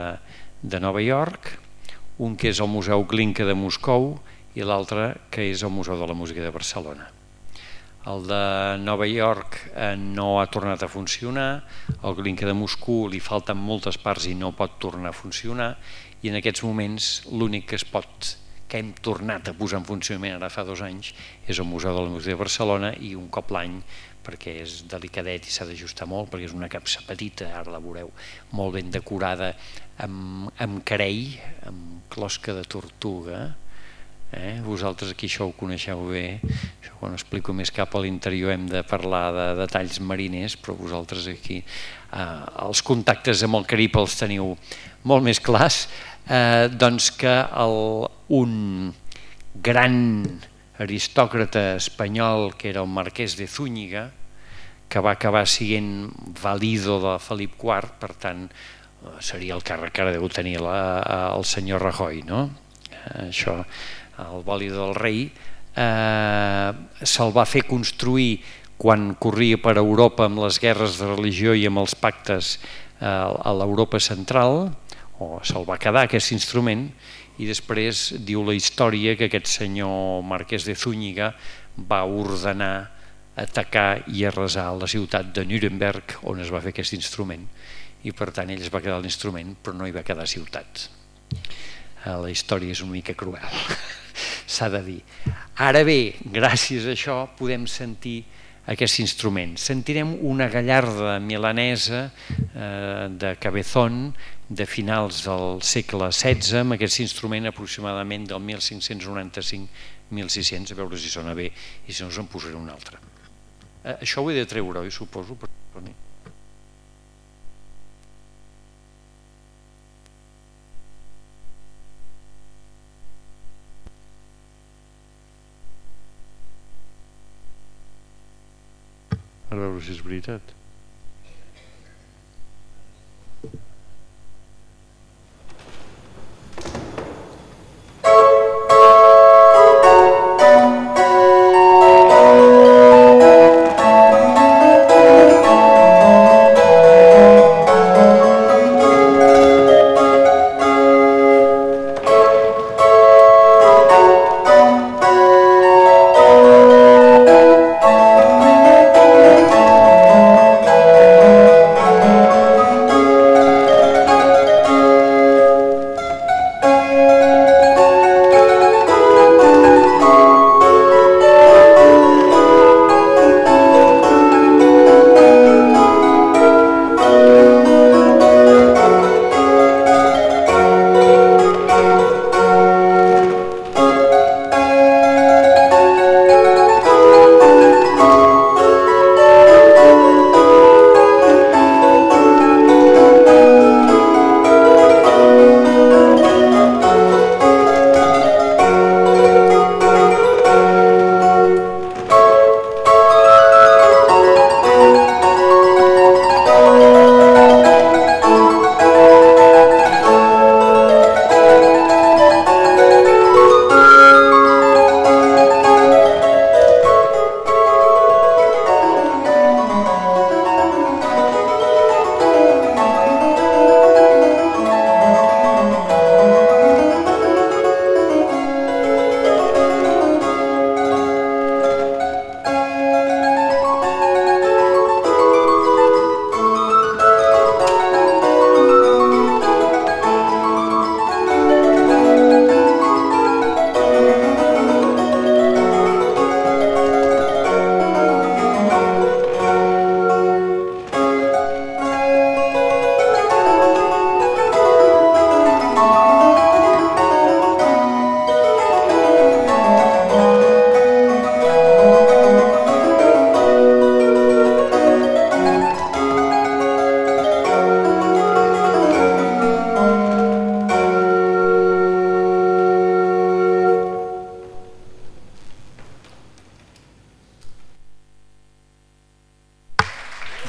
de Nova York, un que és el Museu Glinka de Moscou i l'altre que és el Museu de la Música de Barcelona. El de Nova York eh, no ha tornat a funcionar, el Glinka de Moscou li falten moltes parts i no pot tornar a funcionar, i en aquests moments l'únic que es pot, que hem tornat a posar en funcionament ara fa dos anys, és el Museu de la Música de Barcelona, i un cop l'any, perquè és delicadet i s'ha d'ajustar molt, perquè és una capsa petita, ara la veureu, molt ben decorada amb, amb carei, amb closca de tortuga. Eh? Vosaltres aquí això ho coneixeu bé, això quan explico més cap a l'interior hem de parlar de detalls mariners, però vosaltres aquí eh, els contactes amb el Carib els teniu molt més clars, eh, doncs que el, un gran aristòcrata espanyol que era el marquès de Zúñiga, que va acabar sent valido de Felip quart, per tant seria el càrrec que ara deu tenir la, el senyor Rajoy, no? Això, el vàlido del rei, eh, se'l va fer construir quan corria per Europa amb les guerres de religió i amb els pactes eh, a l'Europa central, o se'l va quedar aquest instrument, i després diu la història que aquest senyor marquès de Zúñiga va ordenar atacar i arrasar la ciutat de Nuremberg on es va fer aquest instrument, i per tant ell es va quedar l'instrument però no hi va quedar ciutat. La història és una mica cruel, s'ha de dir. Ara bé, gràcies a això podem sentir aquest instrument. Sentirem una gallarda milanesa eh, de Cabezón de finals del segle setze, amb aquest instrument aproximadament del mil cinc-cents noranta-cinc a mil sis-cents, a veure si sona bé i si no us en posaré un altre. Eh, això ho he de treure, oi, suposo? Per... A veure si és veritat.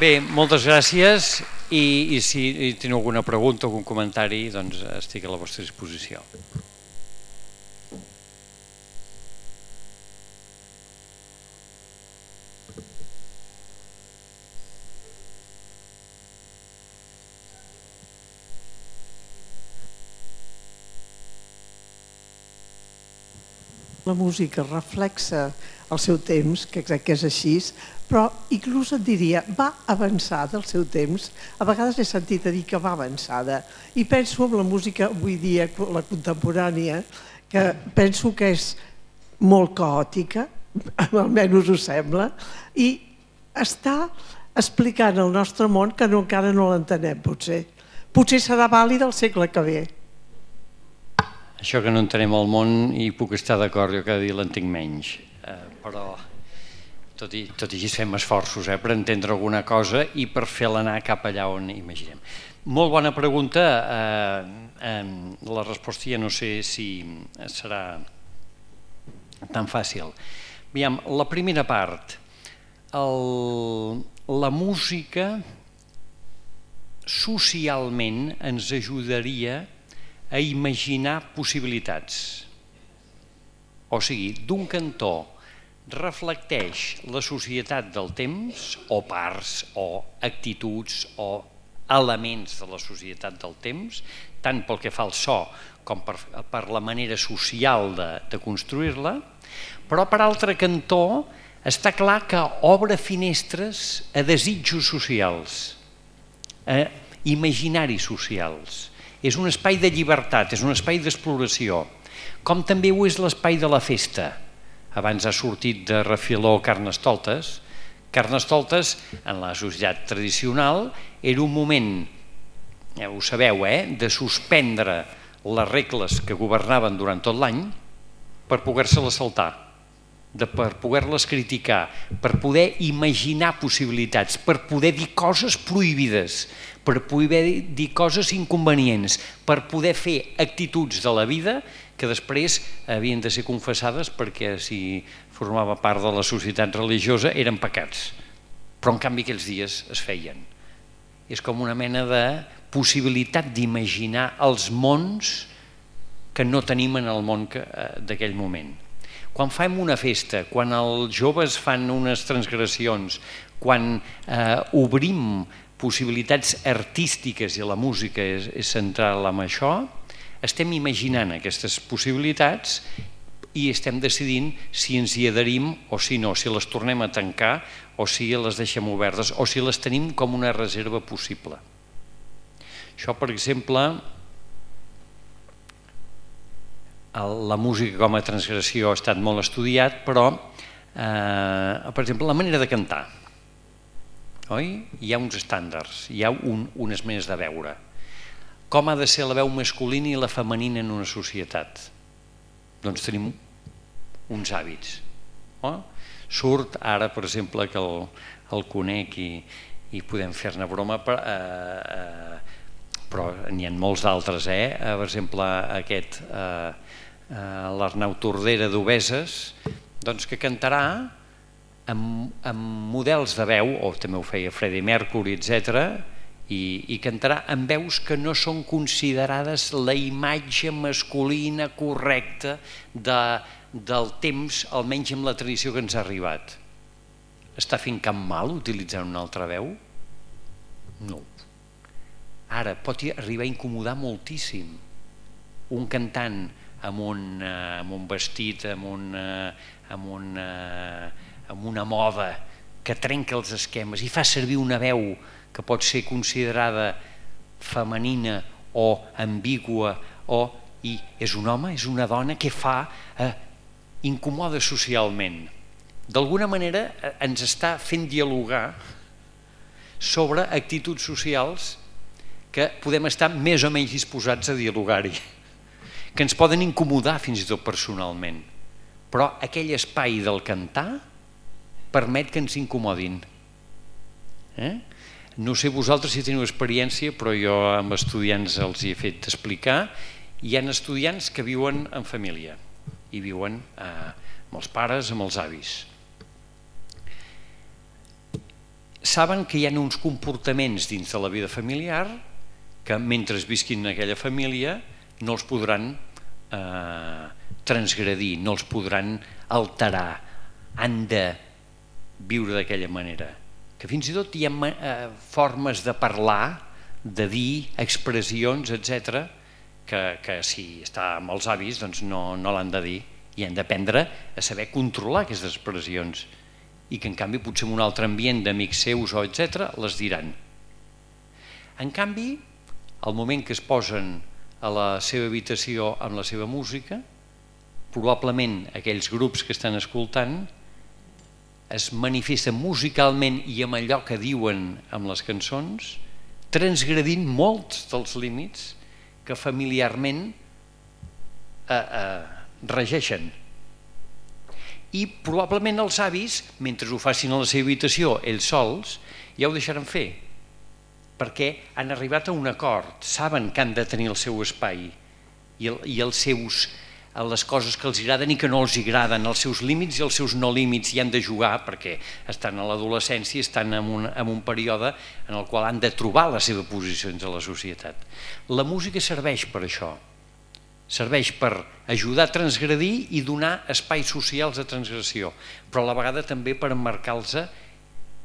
Bé, moltes gràcies i si teniu alguna pregunta o algun comentari, doncs estic a la vostra disposició. La música reflexa el seu temps, que crec que és així, però inclús et diria, va avançada el seu temps. A vegades he sentit a dir que va avançada. I penso en la música avui dia, la contemporània, que penso que és molt caòtica, almenys ho sembla, i està explicant el nostre món que encara no l'entenem, potser. Potser serà vàlid el segle que ve. Això que no entenem el món hi puc estar d'acord, jo cada dia l'entenc menys, però tot i així fem esforços per entendre alguna cosa i per fer-la anar cap allà on imaginem. Molt bona pregunta, la resposta ja no sé si serà tan fàcil. La primera part, la música socialment ens ajudaria a imaginar possibilitats. O sigui, d'un cantó reflecteix la societat del temps, o parts, o actituds, o elements de la societat del temps, tant pel que fa al so com per la manera social de construir-la, però per altre cantó està clar que obre finestres a desitjos socials, a imaginaris socials. És un espai de llibertat, és un espai d'exploració, com també ho és l'espai de la festa. Abans ha sortit de refiló Carnestoltes. Carnestoltes, en la societat tradicional, era un moment, ja ho sabeu, de suspendre les regles que governaven durant tot l'any per poder-se-les saltar, per poder-les criticar, per poder imaginar possibilitats, per poder dir coses prohibides, per poder dir coses inconvenients, per poder fer actituds de la vida que després havien de ser confessades perquè si formava part de la societat religiosa eren pecats, però en canvi aquells dies es feien. És com una mena de possibilitat d'imaginar els mons que no tenim en el món d'aquell moment. Quan fem una festa, quan els joves fan unes transgressions, quan obrim possibilitats artístiques i la música és central en això, estem imaginant aquestes possibilitats i estem decidint si ens hi adherim o si no, si les tornem a tancar o si les deixem obertes o si les tenim com una reserva possible. Això, per exemple, la música com a transgressió ha estat molt estudiat, però, per exemple, la manera de cantar. Hi ha uns estàndards, hi ha unes maneres de veure. Com ha de ser la veu masculina i la femenina en una societat? Doncs tenim uns hàbits. Surt ara, per exemple, que el conec i podem fer-ne broma, però n'hi ha molts d'altres. Per exemple, aquest, l'Arnau Tordera d'Obeses, que cantarà amb models de veu, o també ho feia Freddie Mercury, etcètera, i cantarà amb veus que no són considerades la imatge masculina correcta del temps, almenys amb la tradició que ens ha arribat. Està fent cap mal utilitzant una altra veu? No. Ara, pot arribar a incomodar moltíssim un cantant amb un vestit, amb una moda que trenca els esquemes i fa servir una veu que pot ser considerada femenina o ambigua, i és un home, és una dona, què fa? Incomoda socialment. D'alguna manera ens està fent dialogar sobre actituds socials que podem estar més o menys disposats a dialogar-hi, que ens poden incomodar fins i tot personalment, però aquell espai del cantar permet que ens incomodin. No sé vosaltres si teniu experiència, però jo amb estudiants els hi he fet explicar. Hi ha estudiants que viuen en família i viuen amb els pares, amb els avis. saben que hi ha uns comportaments dins de la vida familiar que mentre visquin en aquella família no els podran eh, transgredir, no els podran alterar, han de viure d'aquella manera. Que fins i tot hi ha eh, formes de parlar, de dir, expressions, etcètera, que, que si està amb els avis doncs no, no l'han de dir i han d'aprendre a saber controlar aquestes expressions i que en canvi potser en un altre ambient d'amics seus o etcètera les diran. En canvi, al moment que es posen a la seva habitació amb la seva música, probablement aquells grups que estan escoltant es manifesten musicalment i amb allò que diuen amb les cançons, transgredint molts dels límits que familiarment eh, eh, regeixen. I probablement els avis, mentre ho facin a la seva habitació ells sols, ja ho deixaran fer, perquè han arribat a un acord, saben que han de tenir el seu espai i, el, i els seus, les coses que els agraden i que no els agraden, els seus límits i els seus no límits, i han de jugar perquè estan a l'adolescència, estan en un, en un període en el qual han de trobar la seva posició dins de la societat. La música serveix per això, serveix per ajudar a transgredir i donar espais socials de transgressió, però a la vegada també per emmarcar-los,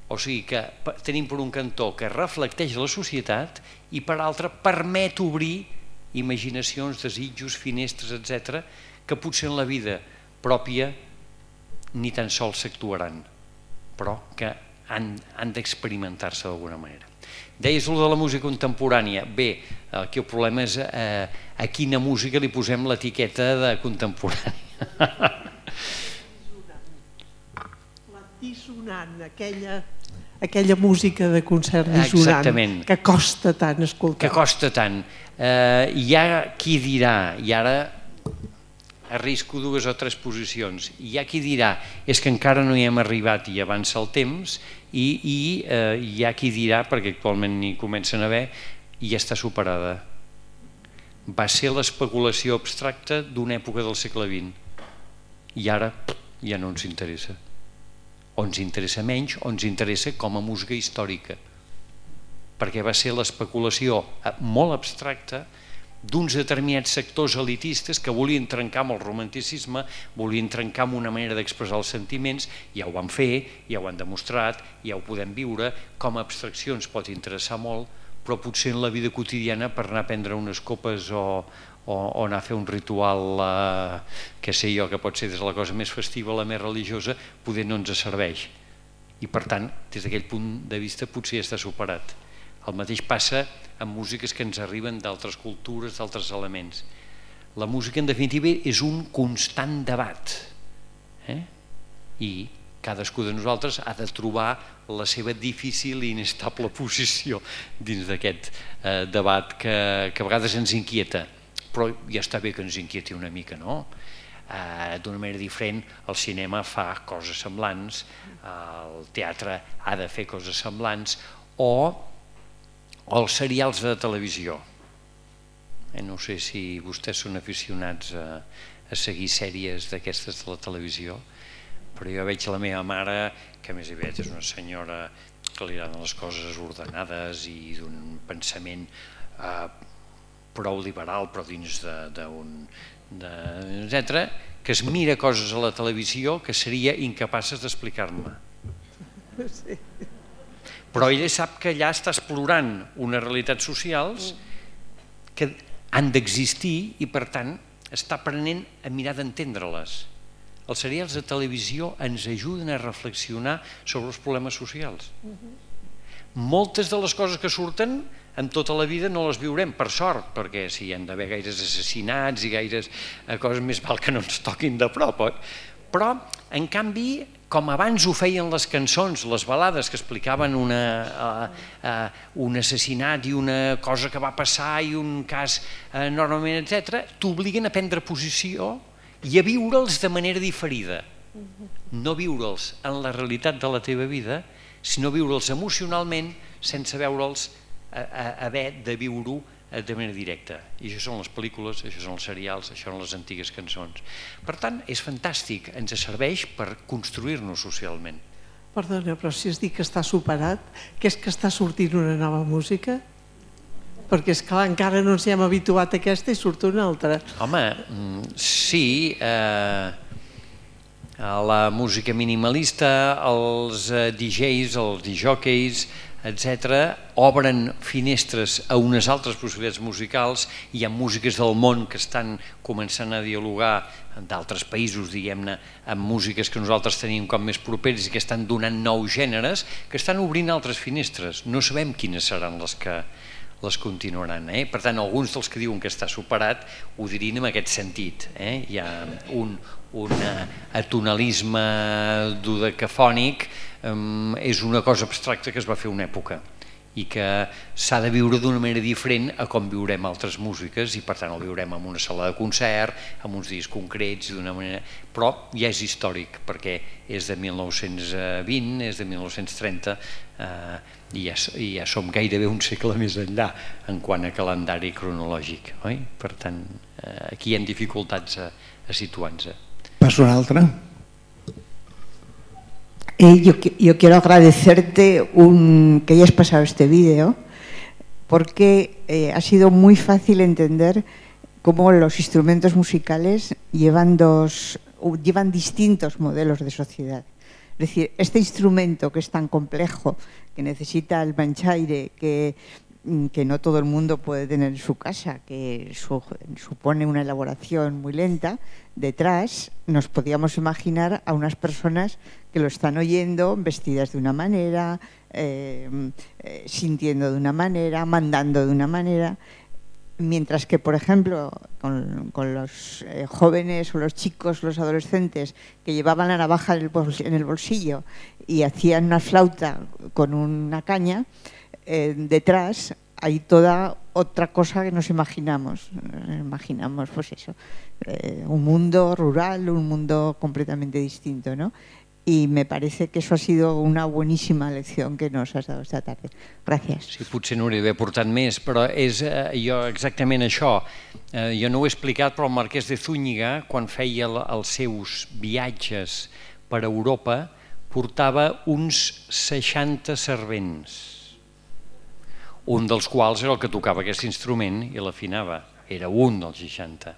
o sigui que tenim per un cantó que reflecteix la societat i per altre permet obrir imaginacions, desitjos, finestres, etcètera, que potser en la vida pròpia ni tan sols s'actuaran, però que han, han d'experimentar-se d'alguna manera. Deies allò de la música contemporània. Bé, aquí el problema és eh, a quina música li posem l'etiqueta de contemporània. La dissonant, aquella... aquella música de concert dissonant. Exactament. Que costa tant escoltar. Que costa tant. Eh, hi ha qui dirà, i ara arrisco dues o tres posicions, hi ha qui dirà és que encara no hi hem arribat i avança el temps, i, i eh, hi ha qui dirà, perquè actualment n'hi comencen a haver, i ja està superada. Va ser l'especulació abstracta d'una època del segle vint i ara ja no ens interessa. O ens interessa menys, o ens interessa com a música històrica, perquè va ser l'especulació molt abstracta d'uns determinats sectors elitistes que volien trencar amb el romanticisme, volien trencar amb una manera d'expressar els sentiments, ja ho van fer, ja ho han demostrat, ja ho podem viure, com a abstracció ens pot interessar molt, però potser en la vida quotidiana per anar a prendre unes copes o, o, o anar a fer un ritual, eh, que sé jo, que pot ser des de la cosa més festiva a la més religiosa, poder no ens serveix. I per tant, des d'aquell punt de vista potser ja està superat. El mateix passa amb músiques que ens arriben d'altres cultures, d'altres elements. La música, en definitiva, és un constant debat. Eh? I cadascú de nosaltres ha de trobar la seva difícil i inestable posició dins d'aquest eh, debat que, que a vegades ens inquieta. Però ja està bé que ens inquieti una mica, no? Eh, d'una manera diferent, el cinema fa coses semblants, el teatre ha de fer coses semblants, o o els serials de televisió. Eh, no sé si vostès són aficionats a, a seguir sèries d'aquestes de la televisió, però jo veig la meva mare, que a més aviat és una senyora que li agraden les coses ordenades i d'un pensament eh, prou liberal, però dins d'un... etcètera, que es mira coses a la televisió que seria incapaces d'explicar-me. Sí. Però ella sap que allà està explorant unes realitats socials que han d'existir i per tant està aprenent a mirar d'entendre-les. Els serials de televisió ens ajuden a reflexionar sobre els problemes socials. Moltes de les coses que surten en tota la vida no les viurem, per sort, perquè si hi han d'haver gaires assassinats i gaires coses, més val que no ens toquin de prop. Però, en canvi, com abans ho feien les cançons, les balades que explicaven una, uh, uh, un assassinat i una cosa que va passar i un cas enormement, etcètera, t'obliguen a prendre posició i a viure'ls de manera diferida. No viure'ls en la realitat de la teva vida, sinó viure'ls emocionalment sense veure'ls a, a, haver de viure-ho de manera directa. I això són les pel·lícules, això són els serials, això són les antigues cançons. Per tant, és fantàstic, ens serveix per construir-nos socialment. Perdona, però si has dit que està superat, què és que està sortint una nova música? Perquè, esclar, encara no ens hi hem habituat a aquesta i surt una altra. Home, sí, eh, la música minimalista, els D Js, els disjòqueis, etcètera, obren finestres a unes altres possibilitats musicals. Hi ha músiques del món que estan començant a dialogar d'altres països, diguem-ne, amb músiques que nosaltres tenim com més properes i que estan donant nous gèneres, que estan obrint altres finestres. No sabem quines seran les que les continuaran. Eh? Per tant, alguns dels que diuen que està superat ho dirien en aquest sentit. Eh? Hi ha un, un atonalisme dodecafònic, um, és una cosa abstracta que es va fer una època i que s'ha de viure d'una manera diferent a com viurem altres músiques, i per tant el viurem en una sala de concert, amb uns dies concrets, d'una manera... però ja és històric, perquè és de mil nou-cents vint, és de mil nou-cents trenta, eh, i, ja, i ja som gairebé un segle més enllà en quant a calendari cronològic, oi? Per tant, eh, aquí hi ha dificultats a, a situar-nos. Passo una altra. Eh, yo, yo quiero agradecerte un, que hayas pasado este vídeo, porque eh, ha sido muy fácil entender cómo los instrumentos musicales llevan, dos, llevan distintos modelos de sociedad. Es decir, este instrumento que es tan complejo, que necesita el manchaire, que, que no todo el mundo puede tener en su casa, que su, supone una elaboración muy lenta, detrás nos podíamos imaginar a unas personas que lo están oyendo vestidas de una manera, eh, eh, sintiendo de una manera, mandando de una manera, mientras que, por ejemplo, con, con los eh, jóvenes o los chicos, los adolescentes que llevaban la navaja en el, bol, en el bolsillo y hacían una flauta con una caña, eh, detrás hay toda otra cosa que nos imaginamos. Nos imaginamos, pues eso, eh, un mundo rural, un mundo completamente distinto, ¿no? Y me parece que eso ha sido una buenísima lección que nos has dado esta tarde. Gràcies. Sí, potser no hauria d'haver portat més, però és eh, jo exactament això. Eh, jo no ho he explicat, però el Marquès de Zúñiga, quan feia els seus viatges per Europa, portava uns seixanta servents, un dels quals era el que tocava aquest instrument i l'afinava. Era un dels seixanta.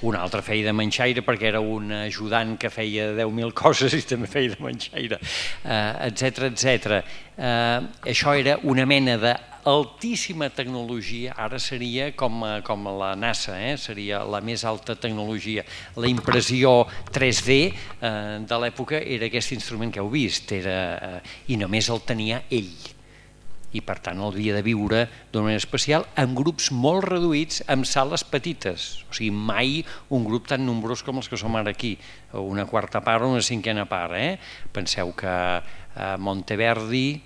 Un altre feia de manxaire perquè era un ajudant que feia deu mil coses i també feia de manxaire, etcètera, etcètera. Això era una mena d'altíssima tecnologia, ara seria com, com la NASA, eh? Seria la més alta tecnologia. La impressió tres D eh, de l'època era aquest instrument que heu vist, era, eh, i només el tenia ell. I per tant el havia de viure d'una manera especial en grups molt reduïts, en sales petites, o sigui, mai un grup tan nombrós com els que som ara aquí, una quarta part o una cinquena part. Eh? Penseu que a Monteverdi,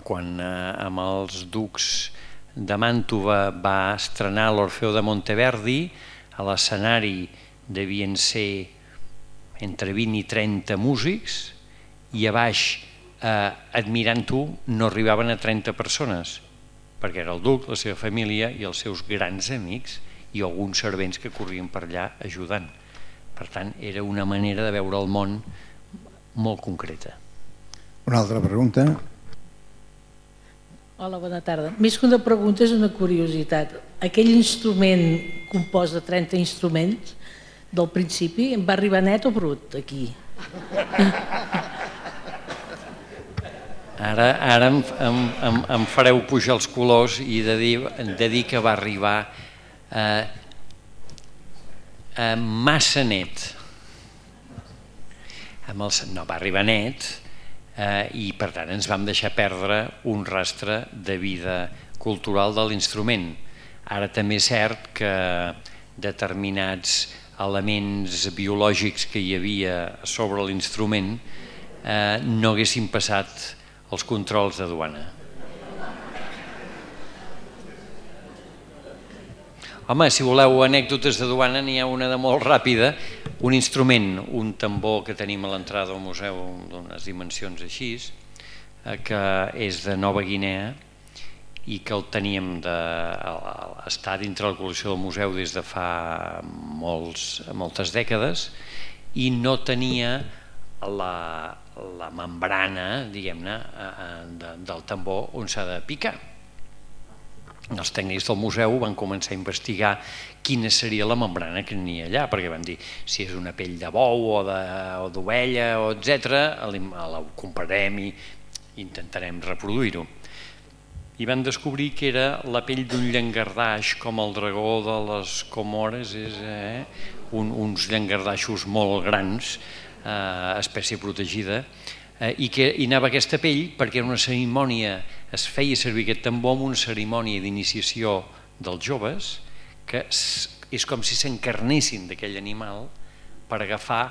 quan amb els ducs de Màntova va estrenar l'Orfeo de Monteverdi, a l'escenari devien ser entre vint i trenta músics, i a baix, Eh, admirant-ho, no arribaven a trenta persones, perquè era el duc, la seva família i els seus grans amics i alguns servents que corrien per allà ajudant. Per tant, era una manera de veure el món molt concreta. Una altra pregunta. Hola, bona tarda. Més que una pregunta és una curiositat. Aquell instrument compost de trenta instruments del principi em va arribar net o brut aquí? Ara, ara em, em, em fareu pujar els colors i de dir, de dir que va arribar eh, eh, massa net. Amb el, no, va arribar net eh, i per tant ens vam deixar perdre un rastre de vida cultural de l'instrument. Ara també és cert que determinats elements biològics que hi havia sobre l'instrument eh, no haguessin passat els controls de duana. Home, si voleu anècdotes de duana, n'hi ha una de molt ràpida. Un instrument, un tambor que tenim a l'entrada del museu d'unes dimensions així, que és de Nova Guinea i que el teníem de, està dintre la col·lecció del museu des de fa molts, moltes dècades, i no tenia la, la membrana, diguem-ne, de, del tambor on s'ha de picar. Els tècnics del museu van començar a investigar quina seria la membrana que n'hi ha allà, perquè van dir, si és una pell de bou o d'ovella, etcètera, la comparem i intentarem reproduir-ho. I van descobrir que era la pell d'un llangardaix, com el dragó de les Comores, eh? Un, uns llangardaixos molt grans, eh, espècie protegida, eh, i que hi anava aquesta pell perquè era una cerimònia, es feia servir aquest tambor en una cerimònia d'iniciació dels joves, que és com si s'encarnessin d'aquell animal per agafar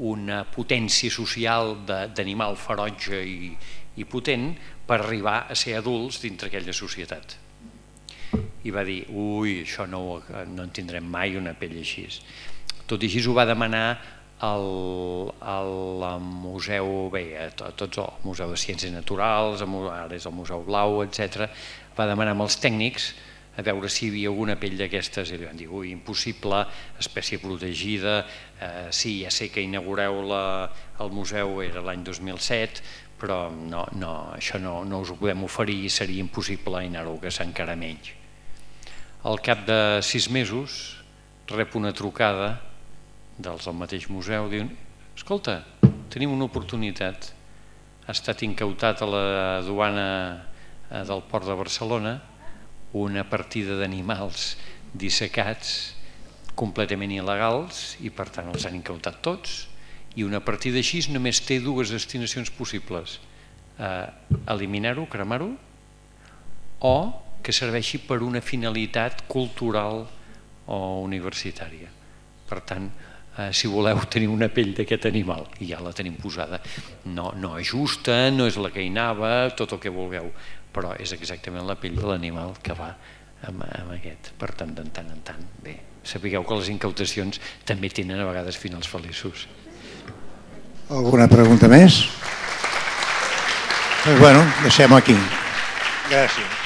una potència social d'animal ferotge i, i potent per arribar a ser adults dintre aquella societat. I va dir, ui, això no, no en tindrem mai una pell així. Tot i així ho va demanar al, al museu, bé, a tots el Museu de Ciències Naturals, ara és el Museu Blau, etcètera, va demanar als tècnics a veure si hi havia alguna pell d'aquestes i li van dir, ui, impossible, espècie protegida, eh, sí, ja sé que inaugureu la, el museu, era l'any dos mil set, però no, no, això no, no us ho podem oferir i seria impossible anar-ho, que s'encara menys. Al cap de sis mesos rep una trucada dels del mateix museu, diuen, escolta, tenim una oportunitat, ha estat incautat a la duana del Port de Barcelona una partida d'animals dissecats completament il·legals i per tant els han incautat tots, i una partida així només té dues destinacions possibles, eh, eliminar-ho, cremar-ho, o que serveixi per una finalitat cultural o universitària. Per tant, eh, si voleu tenir una pell d'aquest animal, i ja la tenim posada, no, no és justa, no és la que hi anava, tot el que vulgueu, però és exactament la pell de l'animal que va amb, amb aquest. Per tant, de tant en tant, bé, sapigueu que les incautacions també tenen a vegades finals feliços. Alguna pregunta més? Doncs bueno, deixem-ho aquí. Gràcies.